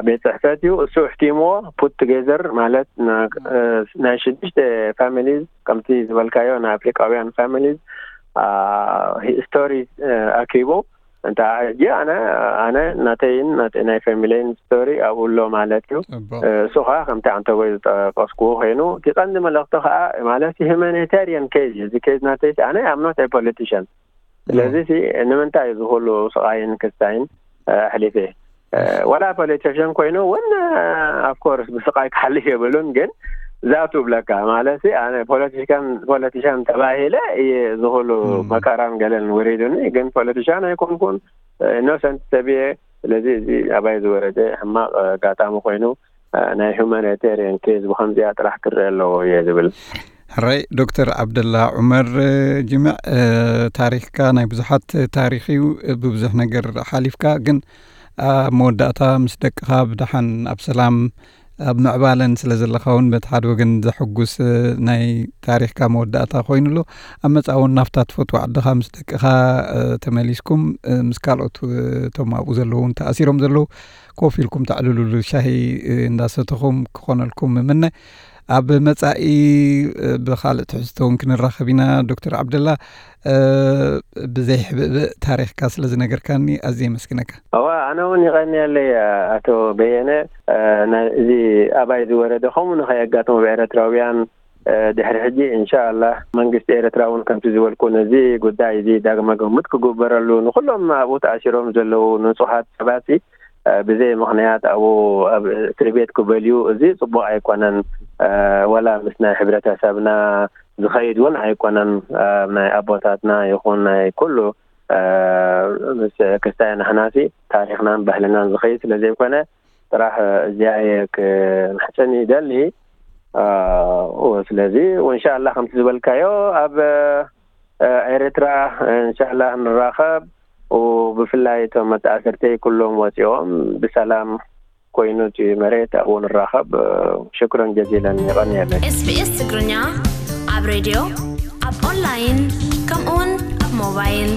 ቤት ፅሕፈት እዩ። እሱ እሕቲምዎ ፑት ቱጌዘር ማለት ናይ ሽዱሽተ ፋሚሊዝ ከምቲ ዝበልካዮ ናይ ኣፍሪቃውያን ፋሚሊዝ ሂስቶሪ ኣኪቡ እንተ ሕጂ ኣነ ኣነ ናተይን ናይ ፋሚለይን ስቶሪ ኣብኡ ኣሎ ማለት እዩ። እሱ ከዓ ከምቲ ኣንተወይ ዝጠቀስኩዎ ኮይኑ እቲ ቀንዲ መልእክቲ ከዓ ማለት ሂማኒታሪያን ኬዝ እዩ። እዚ ኬዝ ናተይ ኣነ ኣምኖት ፖለቲሽን ስለዚ ንምንታይ እዚ ኩሉ ስቃይን ክስታይን ኣሕሊፈ ዋላ ፖለቲሽን ኮይኑ እውን ኣፍኮርስ ብስቃይ ክሓልፍ የብሉን ግን ዛቱ ብለካ ማለት ኣነ ፖለቲሽን ፖለቲሽን ተባሂለ እየ ዝኩሉ መከራን ገለን ወሪዱኒ ግን ፖለቲሽን ኣይኮንኩን ኢኖሰንት ሰብ እየ ስለዚ እዚ ኣባይ ዝወረደ ሕማቅ ኣጋጣሚ ኮይኑ ናይ ሁማኒታሪያን ኬዝ ብከምዚኣ ጥራሕ ክረአ ኣለዎ እየ ዝብል። ሕራይ ዶክተር ዓብደላ ዑመር ጅምዕ ታሪክካ ናይ ብዙሓት ታሪክ እዩ። ብብዙሕ ነገር ሓሊፍካ ግን ኣብ መወዳእታ ምስ ደቅኻ ብደሓን ኣብ ሰላም ኣብ ምዕባለን ስለ ዘለኻ እውን በቲ ሓደ ወገን ዘሐጉስ ናይ ታሪክካ መወዳእታ ኮይኑ ኣሎ። ኣብ መጻ እውን ናብታ ትፈትዎ ዓድኻ ምስ ደቅኻ ተመሊስኩም ምስ ካልኦት እቶም ኣብኡ ዘለዉ እውን ተኣሲሮም ዘለዉ ኮፍ ኢልኩም ተዕልሉሉ ሻሂ እንዳሰተኹም ክኾነልኩም ምምነ። ኣብ መጻኢ ብኻልእ ትሕዝቶ እውን ክንራኸብ ኢና። ዶክተር ዓብደላ ብዘይ ሕብእብእ ታሪኽካ ስለ ዝነገርካኒ ኣዝየ የመስግነካ። እዋ ኣነ እውን ይቐንየለይ ኣቶ በየነ እዚ ኣባይ ዝወረደ ከምኡ ንኸየጋጥሞ ብኤረትራውያን ድሕሪ ሕጂ እንሻኣላህ መንግስቲ ኤረትራ እውን ከምቲ ዝበልኩ ነዚ ጉዳይ እዚ ዳግመ ግምት ክግበረሉ ንኩሎም ኣብኡ ተኣሲሮም ዘለዉ ንጹሃት ሰባት ብዘይ ምኽንያት ኣብኡ ኣብ እስሪ ቤት ክበልዩ እዚ ጽቡቕ ኣይኮነን። ወላ ምስ ናይ ሕብረተሰብና ዝኸይድ እውን ኣይኮነን። ኣብ ናይ ኣቦታትና ይኹን ናይ ኩሉ ምስ ክስታይ ንሕናሲ ታሪኽናን ባህልናን ዝኸይድ ስለ ዘይኮነ ጥራሕ እዚኣ እየ ክምሕጽን ይደሊ። ስለዚ እንሻላ ከምቲ ዝበልካዮ ኣብ ኤርትራ እንሻላ ንራኸብ። ብፍላይ እቶም መተኣስርተይ ኩሎም ወፂኦም ብሰላም ኮይኑ እቲ መሬት ኣብኡ ንራኸብ። ሽክረን ጀዚለን። ይቐንየለይ። SBS ትግርኛ ኣብ ሬድዮ፣ ኣብ ኦንላይን፣ ከምኡውን ኣብ ሞባይል።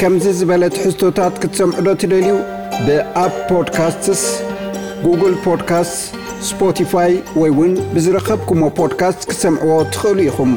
ከምዚ ዝበለ ትሕዝቶታት ክትሰምዑ ዶ ትደልዩ? ብኣፕ ፖድካስትስ፣ ጉግል ፖድካስትስ፣ ስፖቲፋይ ወይ እውን ብዝረኸብኩሞ ፖድካስት ክትሰምዕዎ ትኽእሉ ኢኹም።